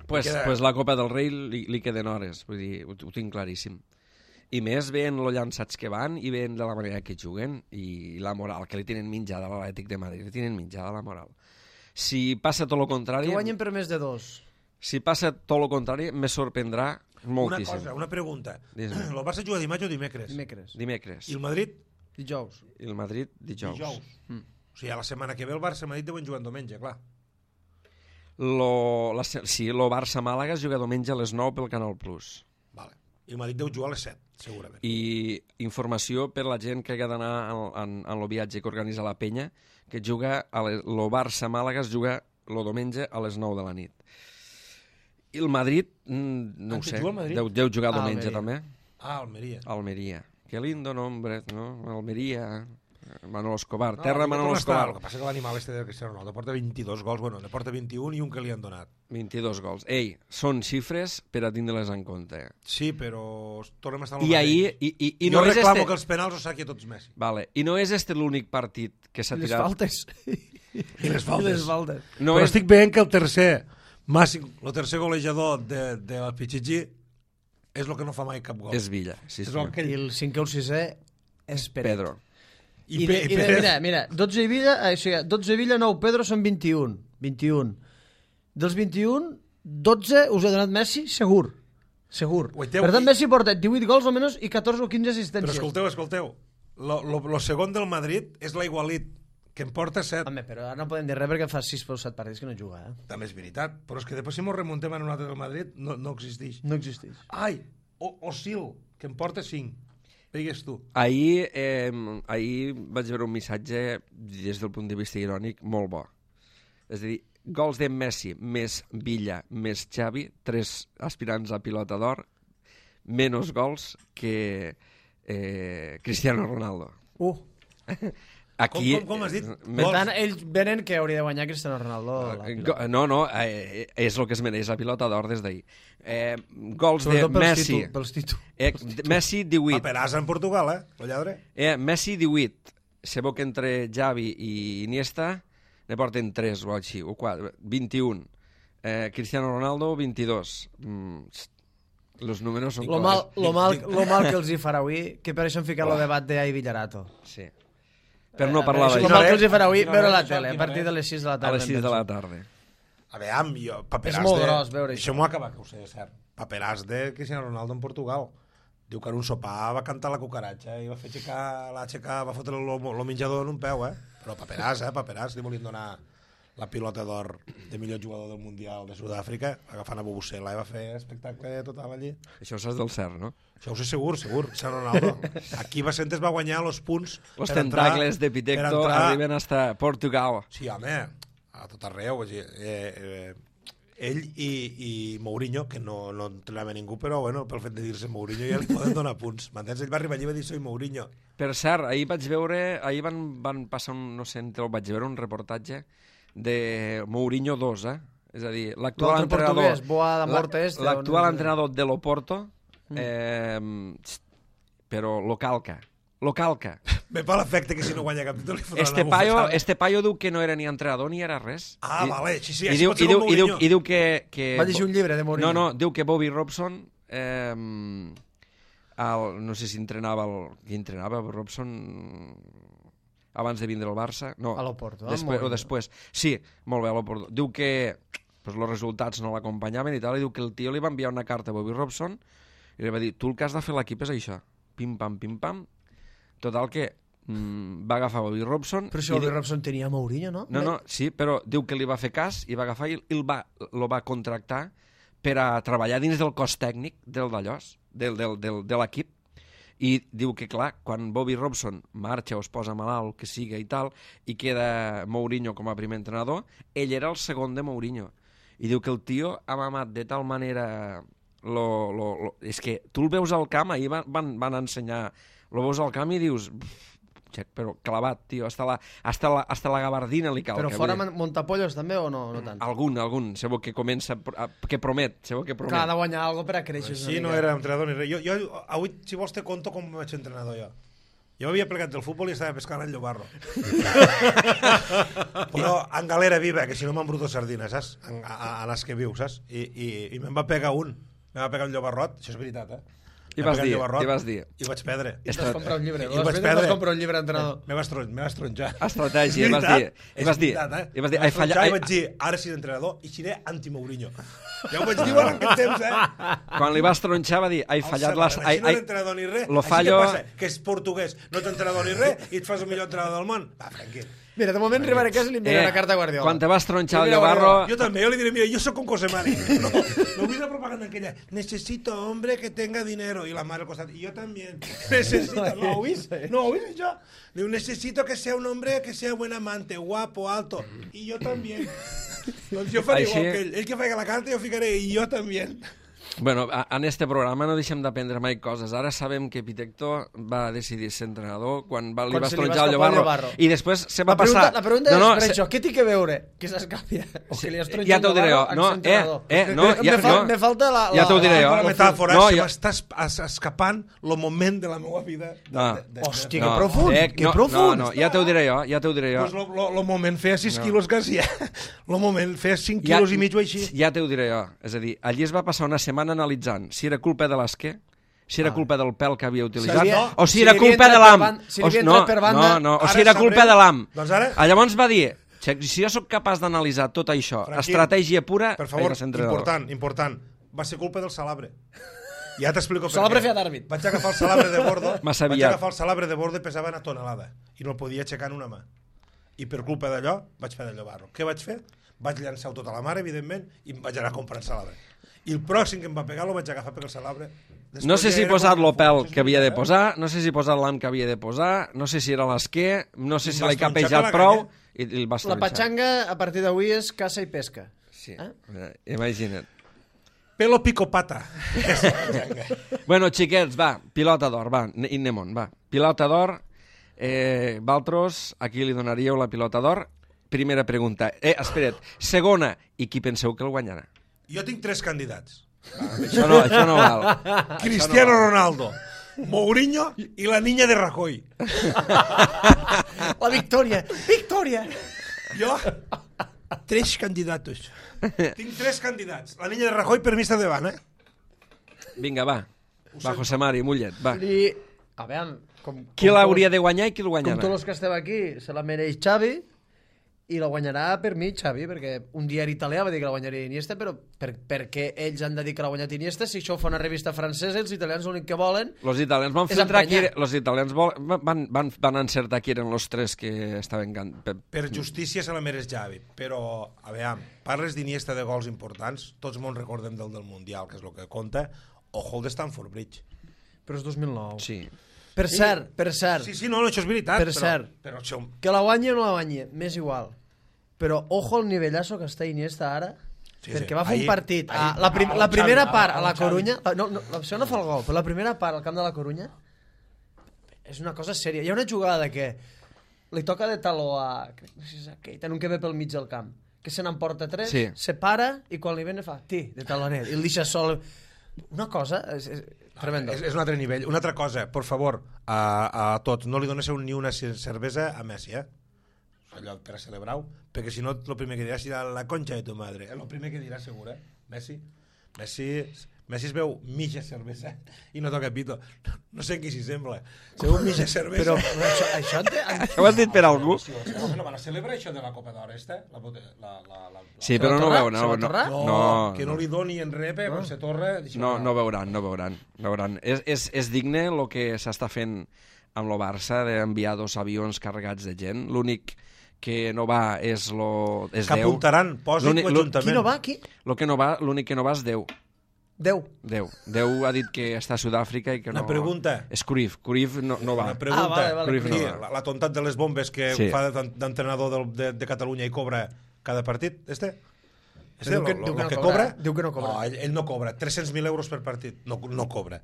Pues, queda- pues la Copa del Rei li, li queden hores, vull dir, ho, ho tinc claríssim. I més veient lo llançats que van i veient de la manera que juguen i la moral que li tenen menjada a l'Atlètic de Madrid, li tenen menjada la moral. Si passa tot el contrari, Que guanyen per més de dos. si passa tot el contrari, me sorprendrà Una moltíssim. cosa, una pregunta. Dis-me. El Barça juga dimarts o dimecres? Dimecres. Dimecres. I el Madrid? Dijous. I el Madrid dijous. Dijous. Mm. O sigui, a la setmana que ve el Barça i el Madrid deuen jugar en diumenge, clar. Lo, la, sí, lo Barça-Màlaga es juga diumenge a les nou pel Canal Plus. Vale. I el Madrid deu jugar a les set, segurament. I informació per la gent que ha d'anar en, en, en el viatge que organitza la penya, que juga a les, lo Barça-Màlaga es juga el diumenge a les nou de la nit. I el Madrid, mm, no Ah, ho que sé, juga el Madrid? deu, deu jugar Ah, diumenge Almeria. també. Ah, Almeria. Almeria. Que lindo nombre, no? Almeria. Manolo Escobar. No, Terra Manolo Escobar. El que passa que l'animal este de Cristiano Ronaldo porta vint-i-dos gols, bueno, ne porta vint-i-un i un que li han donat. vint-i-dos gols. Ei, són xifres per a tindre-les en compte. Sí, però tornem a estar al I ahir... I, i, i jo no és reclamo este... que els penals ho saqui a tots Messi. Vale. I no és este l'únic partit que s'ha I les tirat... faltes. I les faltes. I les faltes. No però és... estic veient que el tercer, màxim, el tercer golejador de, de la Pichichi és el que no fa mai cap gol. És Villa, sí, És senyor. el que I el cinquè o el sisè és Peret. Pedro. I, de, i de, mira, mira, dotze Villa, eh, o sigui, dotze Villa, nou Pedro són vint-i-un. vint-i-un. Dels vint-i-un, dotze us ha donat Messi, segur. Segur. Guaiteu, per tant, i... Messi porta divuit gols almenys i catorze o quinze assistències. Però escolteu, escolteu. Lo, lo, lo segon del Madrid és l'Igualit, que en porta set. Home, però ara no podem dir res perquè fa sis o set partits que no juga, eh? També és veritat. Però és que després si mos remuntem en un altre del Madrid, no, no existeix. No existeix. Ai, o, Osil, que en porta cinc. Digues tu. Ahir, eh, ahir vaig veure un missatge, des del punt de vista irònic, molt bo. És a dir, gols de Messi més Villa més Xavi, tres aspirants a pilota d'or, menys gols que eh, Cristiano Ronaldo. Uh. Aquí, Com, com, com has dit? Per tant, ells venen que hauria de guanyar Cristiano Ronaldo. La Eh, pilota. go- no, no, eh, és el que es mereix la pilota d'or des d'ahir. Eh, gols de Sobretot pels Messi. títol- pels títols. Eh, Messi divuit. Paperàs en Portugal, eh? El lladre. Eh, Messi divuit. Sabeu que entre Xavi i Iniesta ne porten tres o així, o quatre, vint-i-un. Eh, Cristiano Ronaldo, vint-i-dos. Mm, los números són... Lo mal, lo, mal, lo mal que els hi farà avui, que per això han ficat el debat d'Ai Villarato. Sí. Per no parlar Lo d'això. mal que els hi farà avui Quina hora veure la és, tele, a quina partir hora de les sis de la A tarda. les sis de la tarda. A veure, jo, Paperàs És molt de... gros veure això. Això m'ho acaba, que ho sé, cert. Paperàs de Cristiano Ronaldo en Portugal. Diu que en un sopar va cantar la cucaratxa i va fer aixecar, la aixecar, va fotre el menjador en un peu, eh? Però Paperàs, eh? Paperàs, li volien donar la pilota d'or de millor jugador del Mundial de Sud-àfrica, agafant a Bobusela i va fer espectacle total allí. Això saps del cert, no? Això ho sé segur, segur, Cristiano Ronaldo. Aquí Vicentes va guanyar els punts Los per entrar- tentacles de per Pitecto entrar- arriben hasta Portugal. Sí, home, a tot arreu. És a dir, eh, eh, ell i, i Mourinho, que no, no entrenava ningú, però bueno, pel fet de dir-se Mourinho ja li poden donar punts. M'entens? Ell va arribar allí i va dir soy Mourinho. Per cert, ahir vaig veure, ahir van, van passar, un, no sé, entre, vaig veure un reportatge de Mourinho dos, eh? És a dir, l'actual L'altre entrenador... portuguès, Boa da Morte este, L'actual o no sé. entrenador de l'Oporto, eh, però lo calca. Lo calca. Me fa l'efecte que si no guanya cap títol li fotran Este una paio, bufetada. este paio diu que no era ni entrenador ni era res. Ah, I, vale, sí, sí, i així diu, pot ser i diu, com i diu, Mourinho. i diu que, que... Va llegir un llibre de Mourinho. No, no, diu que Bobby Robson, eh, el, no sé si entrenava, el, qui entrenava Robson abans de vindre al Barça. No, A l'Oporto, eh, després, o Mourinho. després. Sí, molt bé, a l'Oporto. Diu que pues, els resultats no l'acompanyaven i tal, i diu que el tio li va enviar una carta a Bobby Robson i li va dir, tu el que has de fer a l'equip és això. Pim-pam, pim-pam. Total que mm, va agafar Bobby Robson... Però si i Bobby di- Robson tenia Mourinho, no? no, no, sí, però diu que li va fer cas i va agafar i el va, lo va contractar per a treballar dins del cos tècnic del d'allòs, del, del, del, de l'equip. I diu que, clar, quan Bobby Robson marxa o es posa malalt, que siga i tal, i queda Mourinho com a primer entrenador, ell era el segon de Mourinho. I diu que el tio ha mamat de tal manera... Lo, lo, lo, és que tu el veus al camp, ahir van, van, van ensenyar, lo veus al camp i dius... Xec, però clavat, tio, hasta la, hasta la, hasta la gabardina li cal. Però fora Montapollos també o no, no tant? Algun, algun, sabeu que comença, a- que promet, sabeu que promet. Clar, ha de guanyar alguna per a créixer. Sí, no era entrenador ni res. Jo, jo, avui, si vols, te conto com vaig ser entrenador jo. Jo m'havia plegat del futbol i estava pescant al Llobarro. Però en galera viva, que si no m'embruto sardines, saps? En, a, a les que viu, saps? I, i, i me'n va pegar un. Me'n va pegar un llobarrot, això és veritat, eh? I Em va vas pegar un dir, llobarrot i vas dir. I vaig perdre. I vas comprar un llibre. I Les vaig veces perdre. vas comprar un llibre entrenador. Me vas, tron, me vas tronjar. Estratègia, És vas veritat, dir, i és vas dir, veritat, eh? i vas dir, Me ai, falla, tronjar ai, i vaig dir, ara seré entrenador i seré anti-Mourinho. Ja ho vaig dir en aquest temps, eh? quan li vas tronxar va dir, ai, fallat les... Ai, Així no ai, és entrenador ni res. lo Així fallo- què passa? Que és portuguès, no ets entrenador ni res i et fas el millor entrenador del món. Va, tranquil. Mira, de moment arribaré a casa i li enviaré una carta a Guardiola. quan te vas tronxar el Mira, Llobarro... Jo també, jo li diré, mira, jo sóc con Cosemani. No, no vull la propaganda aquella. Necesito hombre que tenga dinero. I la mare al costat, i jo també. Necesito, no ho vist? No ho vist això? Diu, necesito que sea un hombre que sea buen amante, guapo, alto. I jo també. Doncs jo faré Així- igual que ell. Ell que faci la carta, jo ficaré, i jo també. Bueno, en este programa no deixem d'aprendre mai coses. Ara sabem que Pitecto va decidir ser entrenador quan va, li Quan va se li va estronjar el escapar el Llobarro. Llobarro. I després se va La pregunta, passar... la pregunta no, no, és, per se... això, què té que veure que s'escapi o que li estronja Ja t'ho diré jo. No, eh, eh, no, ja, me, fa, no. me falta la... la Ja t'ho diré jo. La metàfora, No, no, se jo- m'està es- es- escapant el moment de la meva vida. De, No. de, de, Hòstia, No, que profund, eh, que no, profund. No, no, ja t'ho diré jo, ja t'ho diré jo. Pues lo, lo, lo moment feia sis no. quilos quasi. Lo moment feia cinc Ja- quilos i mig o així. Ja t'ho diré jo. És a dir, allí es va passar una setmana analitzant si era culpa de l'esquer, si era culpa del pèl que havia utilitzat, havia- o si si era li havia culpa de entrat l'am. per ban- si li O havia no, entrat per banda, no, no, o ara si era sabrem- culpa de l'am. Doncs ara- Ah, Llavors va dir, si jo sóc capaç d'analitzar tot això, Franqui, estratègia pura, Per favor, he de ser entrenador. important, important. Va ser culpa del salabre. Ja t'explico per Salabre què. feia d'àrbit. Vaig agafar el salabre de bordo, Massa vaig aviat. agafar el salabre de bordo i pesava una tonelada. I no el podia aixecar en una mà. I per culpa d'allò vaig fer d'allò barro. Què vaig fer? Vaig llançar-ho tot a la mare, evidentment, i em vaig anar comprant salabre. I el pròxim que em va pegar lo vaig agafar per el salabre. Després No sé ja si era posar com- lo pèl Això és que havia de veritat, eh? posar, no sé si posar l'am que havia de posar, no sé si era l'esquer, no sé I si em l'he vas tronxar capejat per la prou, canya. i, i el vas La tronxar. patxanga, a partir d'avui, és caça i pesca. Sí, Eh? eh? imagina't. Pelo picopata. Bueno, xiquets, va, pilota d'or, va, i anem-on, va. Pilota d'or, eh, Valtros, a qui li donaríeu la pilota d'or? Primera pregunta. Eh, espera't, segona, i qui penseu que el guanyarà? Jo tinc tres candidats. Això no, això no val. Cristiano Ronaldo, Mourinho i la niña de Rajoy. La victòria! Victòria! Jo, tres candidatos. Tinc tres candidats. La niña de Rajoy per mi està davant, eh? Vinga, va. Va, José Mari, mullet, va. I, a veure, com, Qui com l'hauria tots- de guanyar i qui el Com guanyarà? tots els que estem aquí, se la mereix Xavi, i la guanyarà per mi Xavi, perquè un diari italià va dir que la guanyaria Iniesta, però per, perquè ells han de dir que l'ha guanyat Iniesta, si això ho fa una revista francesa, els italians l'únic que volen... Los italians van És filtrar qui... emprenyar. Los italians vol, van, van, van encertar qui eren los tres que estaven... Can... pe- Per justícia se la mereix Xavi, però, a veure, parles d'Iniesta de gols importants, tots mos recordem del del Mundial, que és el que compta, ojo el de Stamford Bridge. Però és dos mil nou. Sí. Per cert, per cert, Sí, sí, no, no, això és veritat. Per però, cert. Però això... que la guanyi o no la guanyi, m'és igual. Però ojo el nivellazo que està Iniesta ara, Sí, sí, perquè sí. va fer Ahir- un partit. ahir- a, la, prim, ah, la el primera Xavi, part ah, a la el Xavi. Corunya... No, no, l'opció no fa el gol, però la primera part al camp de la Corunya és una cosa sèria. Hi ha una jugada que li toca de taló a... crec que no sé si és aquell, en un que ve pel mig del camp, que se n'emporta tres, Sí. se para i quan li ven fa ti, de talonet, i el deixa sol. Una cosa... És, és tremendo. És, és un altre nivell. Una altra cosa, per favor, a, a tots, no li donéssiu ni una cer- cervesa a Messi, eh? Allò per a celebrar-ho, perquè si no, el primer que dirà serà la concha de tu madre. El primer que dirà, segur, eh? Messi. Messi, Messi es veu mitja cervesa i no toca pito. No sé en qui s'hi sembla. Se veu mitja cervesa. Però, però això, això en té, en... Ho has dit per algú? Sí, home, no van a celebrar això de la Copa d'Or, esta? La, bote- la, la, la, la... Sí, Se però va no torrar? veuen. Se No, va no, torrar? No, no, que no li doni en repe, quan se torra... no, no veuran, no veuran. No veuran. És, és, és digne el que s'està fent amb el Barça d'enviar dos avions carregats de gent. L'únic que no va és, lo, és Que Déu. apuntaran, posin L'únic- l'Ajuntament. Qui no va, qui? Lo que no va, l'únic que no va és Déu. Déu. Déu. Déu ha dit que està a Sud-àfrica i que no... Una pregunta. És Cruyff. Cruyff no, no va. Una pregunta. Ah, vale, vale. Cruyff Sí, no va. la, la tontat de les bombes que Sí. fa d'en- d'entrenador del- de, de Catalunya i cobra cada partit, este? Este, Diu que- lo- diu lo que no que cobra, cobra? diu que no cobra. No, ell, ell no cobra. tres-cents mil euros per partit. No, no cobra.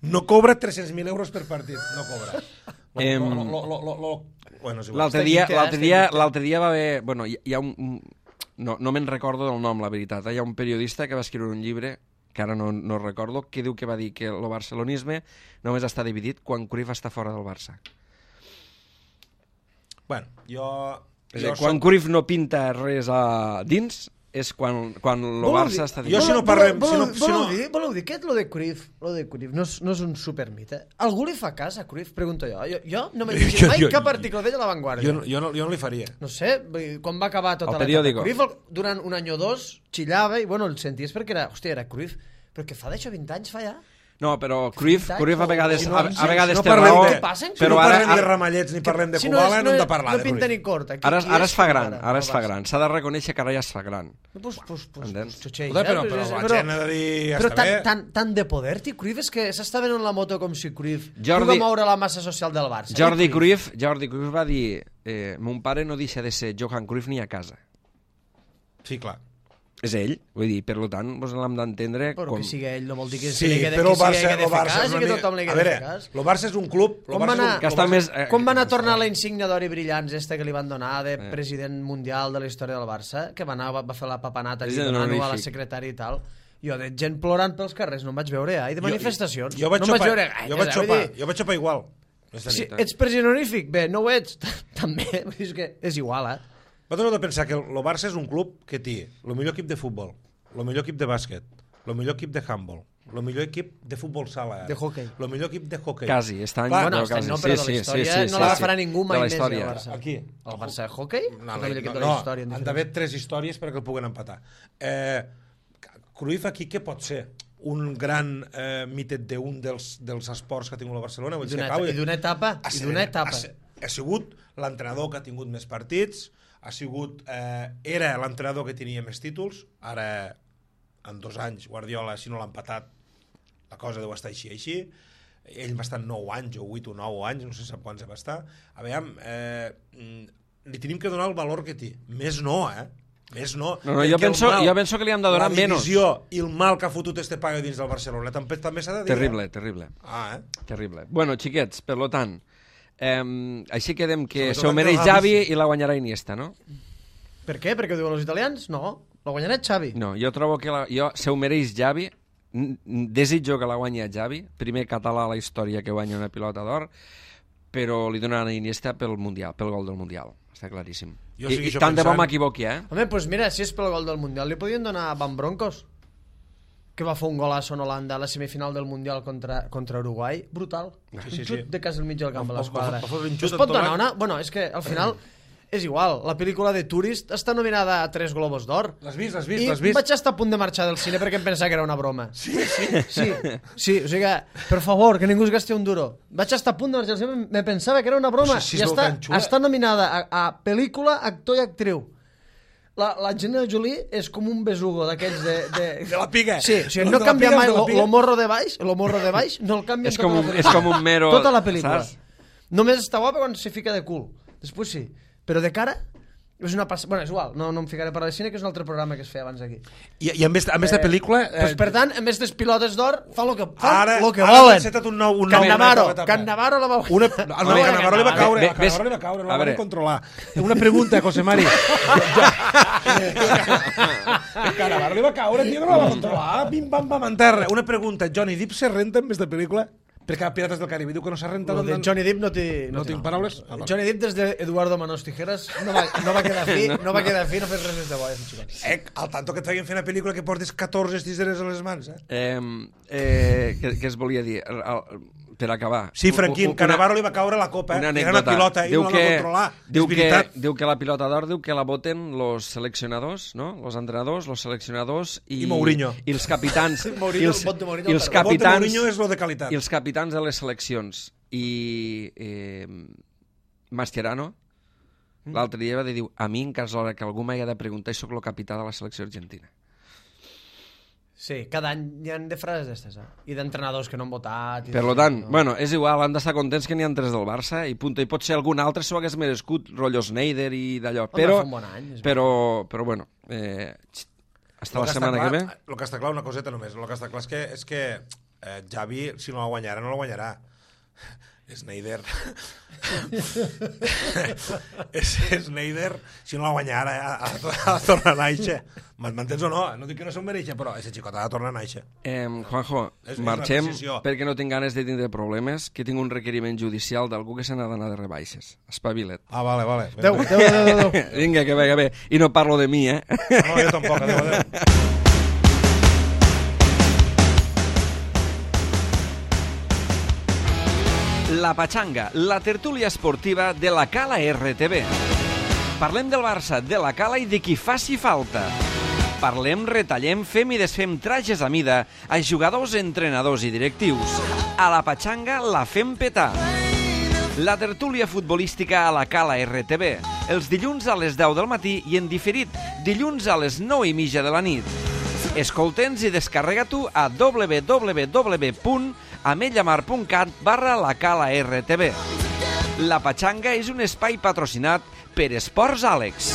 No cobra tres-cents mil euros per partit. No cobra. Lo, Em, lo, lo, lo, lo, lo... Bueno, és igual. L'altre Està dia, quinté, eh? l'altre Està dia, quinté. l'altre dia va haver... Bueno, hi, hi ha un... un- No, no me'n recordo del nom, la veritat. Eh? Hi ha un periodista que va escriure un llibre, que ara no, no recordo, que diu que va dir que el barcelonisme només està dividit quan Cruyff està fora del Barça. Bueno, jo... És a jo dir, quan soc- Cruyff no pinta res a dins, és quan, quan el Voleu Barça dir- està Jo dividit. si no Voleu- parlem- voleu- si no- si voleu no- dir, voleu dir que lo de Cruyff, lo de Cruyff no és, no és un supermite? Algú li fa cas a Cruyff? Pregunto jo. Jo, jo no m'he llegit Jo- mai jo- cap article d'ell a La Vanguardia. Jo, no- jo, no, jo no li faria. No sé, vull dir, quan va acabar tota El l'etapa periòdico. Cruyff, el- durant un any o dos, xillava i, bueno, el senties perquè era, hòstia, era Cruyff. Però que fa d'això vint anys, fa ja? No, però Cruyff, Veritat, Cruyff a o- vegades, si no- a, si- a vegades si no té parlem raó, de- Què passa? Si Si no però ara, parlem de ara, ramallets ni parlem de Si no, Kubala, és, no, no, hem de parlar no de pinta Cruyff. ni corta. Qui- ara, qui ara és es fa Cruyff gran, ara es fa Barça? gran. S'ha de reconèixer que ara ja es fa gran. Pues, pues, pues, Entens? pues, xutxeix, Escolta, però, eh? però És- la gent ha de dir... Però Està tan, bé. tan, tan de poder, tio, Cruyff, és que s'està venent la moto com si Cruyff Jordi- pugui moure la massa social del Barça. Jordi I Cruyff, Jordi Cruyff va dir eh, mon pare no deixa de ser Johan Cruyff ni a casa. Sí, clar. és ell, vull dir, per tant, doncs l'hem d'entendre Però com... que sigui ell no vol dir que Sí, se li quede, però que se li Barça, quede el fer Barça cas és i que una tothom li mica... A quede veure, fer cas. el Barça és un club... el Com Barça va és un- anar, Que està el Barça- més... eh, com va anar a tornar la insígnia d'or i brillants esta que li van donar de Eh. president mundial de la història del Barça? Que va anar, va, va fer la papanata allí President donant-ho a la honorífic. secretària i tal. Jo de gent plorant pels carrers no em vaig veure, eh? I de manifestacions. Jo, jo vaig no em xopar, vaig veure jo gaires, vaig eh? Vull xopar, dir, jo vaig xopar igual. Aquesta si nit. ets president honorífic, bé, no ho ets, també. Vull dir, és que és igual, eh? Vosaltres heu de pensar que el el Barça és un club que té el millor equip de futbol, el millor equip de bàsquet, el millor equip de handball, el millor equip de futbol sala, De hoquei. el millor equip de hoquei. Quasi, està any... Clar, Bueno, no, este any quasi. no, però Sí, de la sí, història sí, sí, no sí, l'agafarà sí. ningú De mai la més, història. el Barça. Aquí. El Barça de hoquei? No, És no, el millor equip de no, la història. en han diferent. d'haver tres històries perquè el puguen empatar. Eh, Cruyff aquí què pot ser? Un gran eh, mitet d'un dels, dels esports que ha tingut la Barcelona? Vull I dir, d'una que acaba- i d'una etapa, ha i sigut- d'una etapa. Ha, se- ha sigut l'entrenador que ha tingut més partits, ha sigut, eh, era l'entrenador que tenia més títols, ara en dos anys Guardiola, si no l'ha empatat, la cosa deu estar així així, ell va estar nou anys o vuit o nou anys, no sé sap quants va estar. A veure, eh, mm, li tenim que donar el valor que té. Més no, eh? Més no. No, no, jo Perquè el penso, mal, jo penso que li hem de donar la menys. divisió i el mal que ha fotut este paio dins del Barcelona també, també s'ha de dir. Terrible, Eh? terrible. Ah, eh? Terrible. Bueno, xiquets, per lo tant, eh, així quedem que Sobretot se ho mereix que el Xavi Gavi- i la guanyarà Iniesta, no? Per què? Perquè ho diuen els italians? No, la guanyarà Xavi. No, jo trobo que la, jo, se ho mereix Xavi, n- n- desitjo que la guanyi Xavi, primer català a la història que guanya una pilota d'or, però li donaran a Iniesta pel Mundial, pel gol del Mundial, està claríssim. Jo I, i segueixo tant de bo pensant- m'equivoqui, eh? Home, doncs pues mira, si és pel gol del Mundial, li podien donar a Van Broncos, que va fer un golazo en Holanda a la semifinal del Mundial contra, contra Uruguai. Brutal. Sí, un sí, xut sí. de casa al mig del camp Va- a va- l'esquadra. va fotre un xut Es en pot tot donar el- una... Bueno, és que al final és igual. La pel·lícula de Tourist està nominada a tres Globos d'Or. L'has vist, l'has vist, I l'has vist? vaig estar a punt de marxar del cine perquè em pensava que era una broma. Sí, sí. Sí, sí, o sigui que, per favor, que ningú es gasti un duro. Vaig estar a punt de marxar del cine, me pensava que era una broma. O sigui, si I és està, tan xula. està nominada a, a pel·lícula, actor i actriu. La, la Angelina Jolie és com un besugo d'aquells de, de... De la piga. Sí, o sigui, De no la canvia piga, mai de la lo, piga. lo morro de baix, lo morro de baix, no el canvia És tota com la un- pel·lícula. és com un mero, Tota la pel·lícula. saps? Només està guapa quan se fica de cul. Després sí. Però de cara és una passa... Bueno, és igual, no, no em ficaré a parlar de cine, que és un altre programa que es feia abans aquí. I, i a més, a més de pel·lícula... Eh, pues, per tant, en més dels pilotes d'or, fa el que, fa ara, lo que ara volen. han encetat un nou... Un nou Cannavaro, una nova etapa. Cannavaro la va Una, guanyar. no, no, a Cannavaro li va caure, Bé, a Cannavaro ves- li va caure, no a la veure. van controlar. Una pregunta, José Mari. A Cannavaro li va caure, tio, no la va controlar. Bim, bam, bam, en terra. Una pregunta, Johnny Depp se renta en més de pel·lícula? Perquè a Pirates del Caribe diu que no s'ha rentat. Lo de en- Johnny Depp no té... No té tinc nom. paraules? Ah, vale. Johnny Depp des d'Eduardo Manos Tijeras no va, no va quedar fi, no va quedar fi, no fes res més de bo, eh, xicot. Eh, al tanto que et feien fer una pel·lícula que portes catorze tiseres a les mans, eh? Eh, eh, què, què es volia dir? El- el- Per acabar. Sí, Franquín, Una- Cannavaro li va caure la copa, eh? Una Era una anècdota. pilota, ell diu no la que, va controlar. diu, És que, veritat. diu que la pilota d'or diu que la voten los seleccionadors, no? Los entrenadors, los seleccionadors i, I Mourinho. i els capitans Mourinho, i els, el vot de Mourinho i el els perd. El vot de capitans Mourinho és lo de qualitat. i els capitans de les seleccions i eh, Mascherano Mm. l'altre dia va dir, diu, a mi en cas l'hora que algú m'hagi de preguntar, sóc el capità de la selecció argentina. Sí, cada any hi ha de frases d'estes, eh? I d'entrenadors que no han votat. I Per de- lo tant, no. bueno, és igual, han d'estar contents que n'hi ha tres del Barça i punt, i pot ser algun altre s'ho hagués merescut, rotllo Snyder i d'allò, Home, però, fa un bon any, és però, però bueno, eh, hasta Lo la que setmana està que clar, ve. El que està clar, una coseta només, el que està clar és que, és que eh, Xavi, si no la guanyarà, no la guanyarà. Snyder... és Snyder, si no la guanyarà, ha, ha, ha de tornar a nàixer. M'entens o no? No dic que no se'n mereix, però aquest xicot ha de tornar a nàixer. Eh, Juanjo, És- és marxem una decisió. perquè no tinc ganes de tindre problemes, que tinc un requeriment judicial d'algú que se n'ha d'anar de rebaixes. Espavila't. Ah, vale, vale. Adéu, adéu, adéu, adéu. Vinga, que bé, que bé. I no parlo de mi, eh? No, jo tampoc, adéu, adéu. La Pachanga, la tertúlia esportiva de la Cala R T V. Parlem del Barça, de la Cala i de qui faci falta. Parlem, retallem, fem i desfem trajes a mida a jugadors, entrenadors i directius. A la Pachanga la fem petar. La tertúlia futbolística a la Cala R T V. Els dilluns a les deu del matí i en diferit dilluns a les nou i mitja de la nit. Escolta'ns i descarrega-t'ho a w w w punt ametlamar punt cat barra la Cala R T V. La Pachanga és un espai patrocinat per Esports Àlex.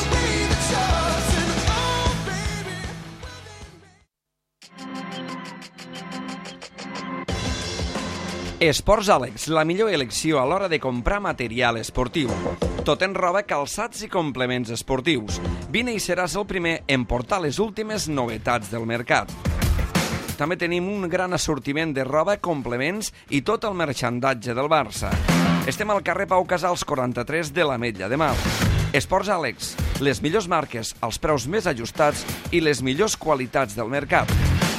Esports Àlex, la millor elecció a l'hora de comprar material esportiu. Tot en roba, calçats i complements esportius. Vine i seràs el primer en portar les últimes novetats del mercat. També tenim un gran assortiment de roba, complements i tot el merxandatge del Barça. Estem al carrer Pau Casals quaranta-tres de l'Ametlla de Mar. Esports Àlex, les millors marques, els preus més ajustats i les millors qualitats del mercat.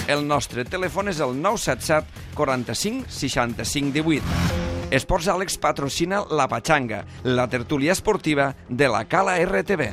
El nostre telèfon és el nou set set quaranta-cinc seixanta-cinc divuit. Esports Àlex patrocina La Pachanga, la tertúlia esportiva de la Cala R T V.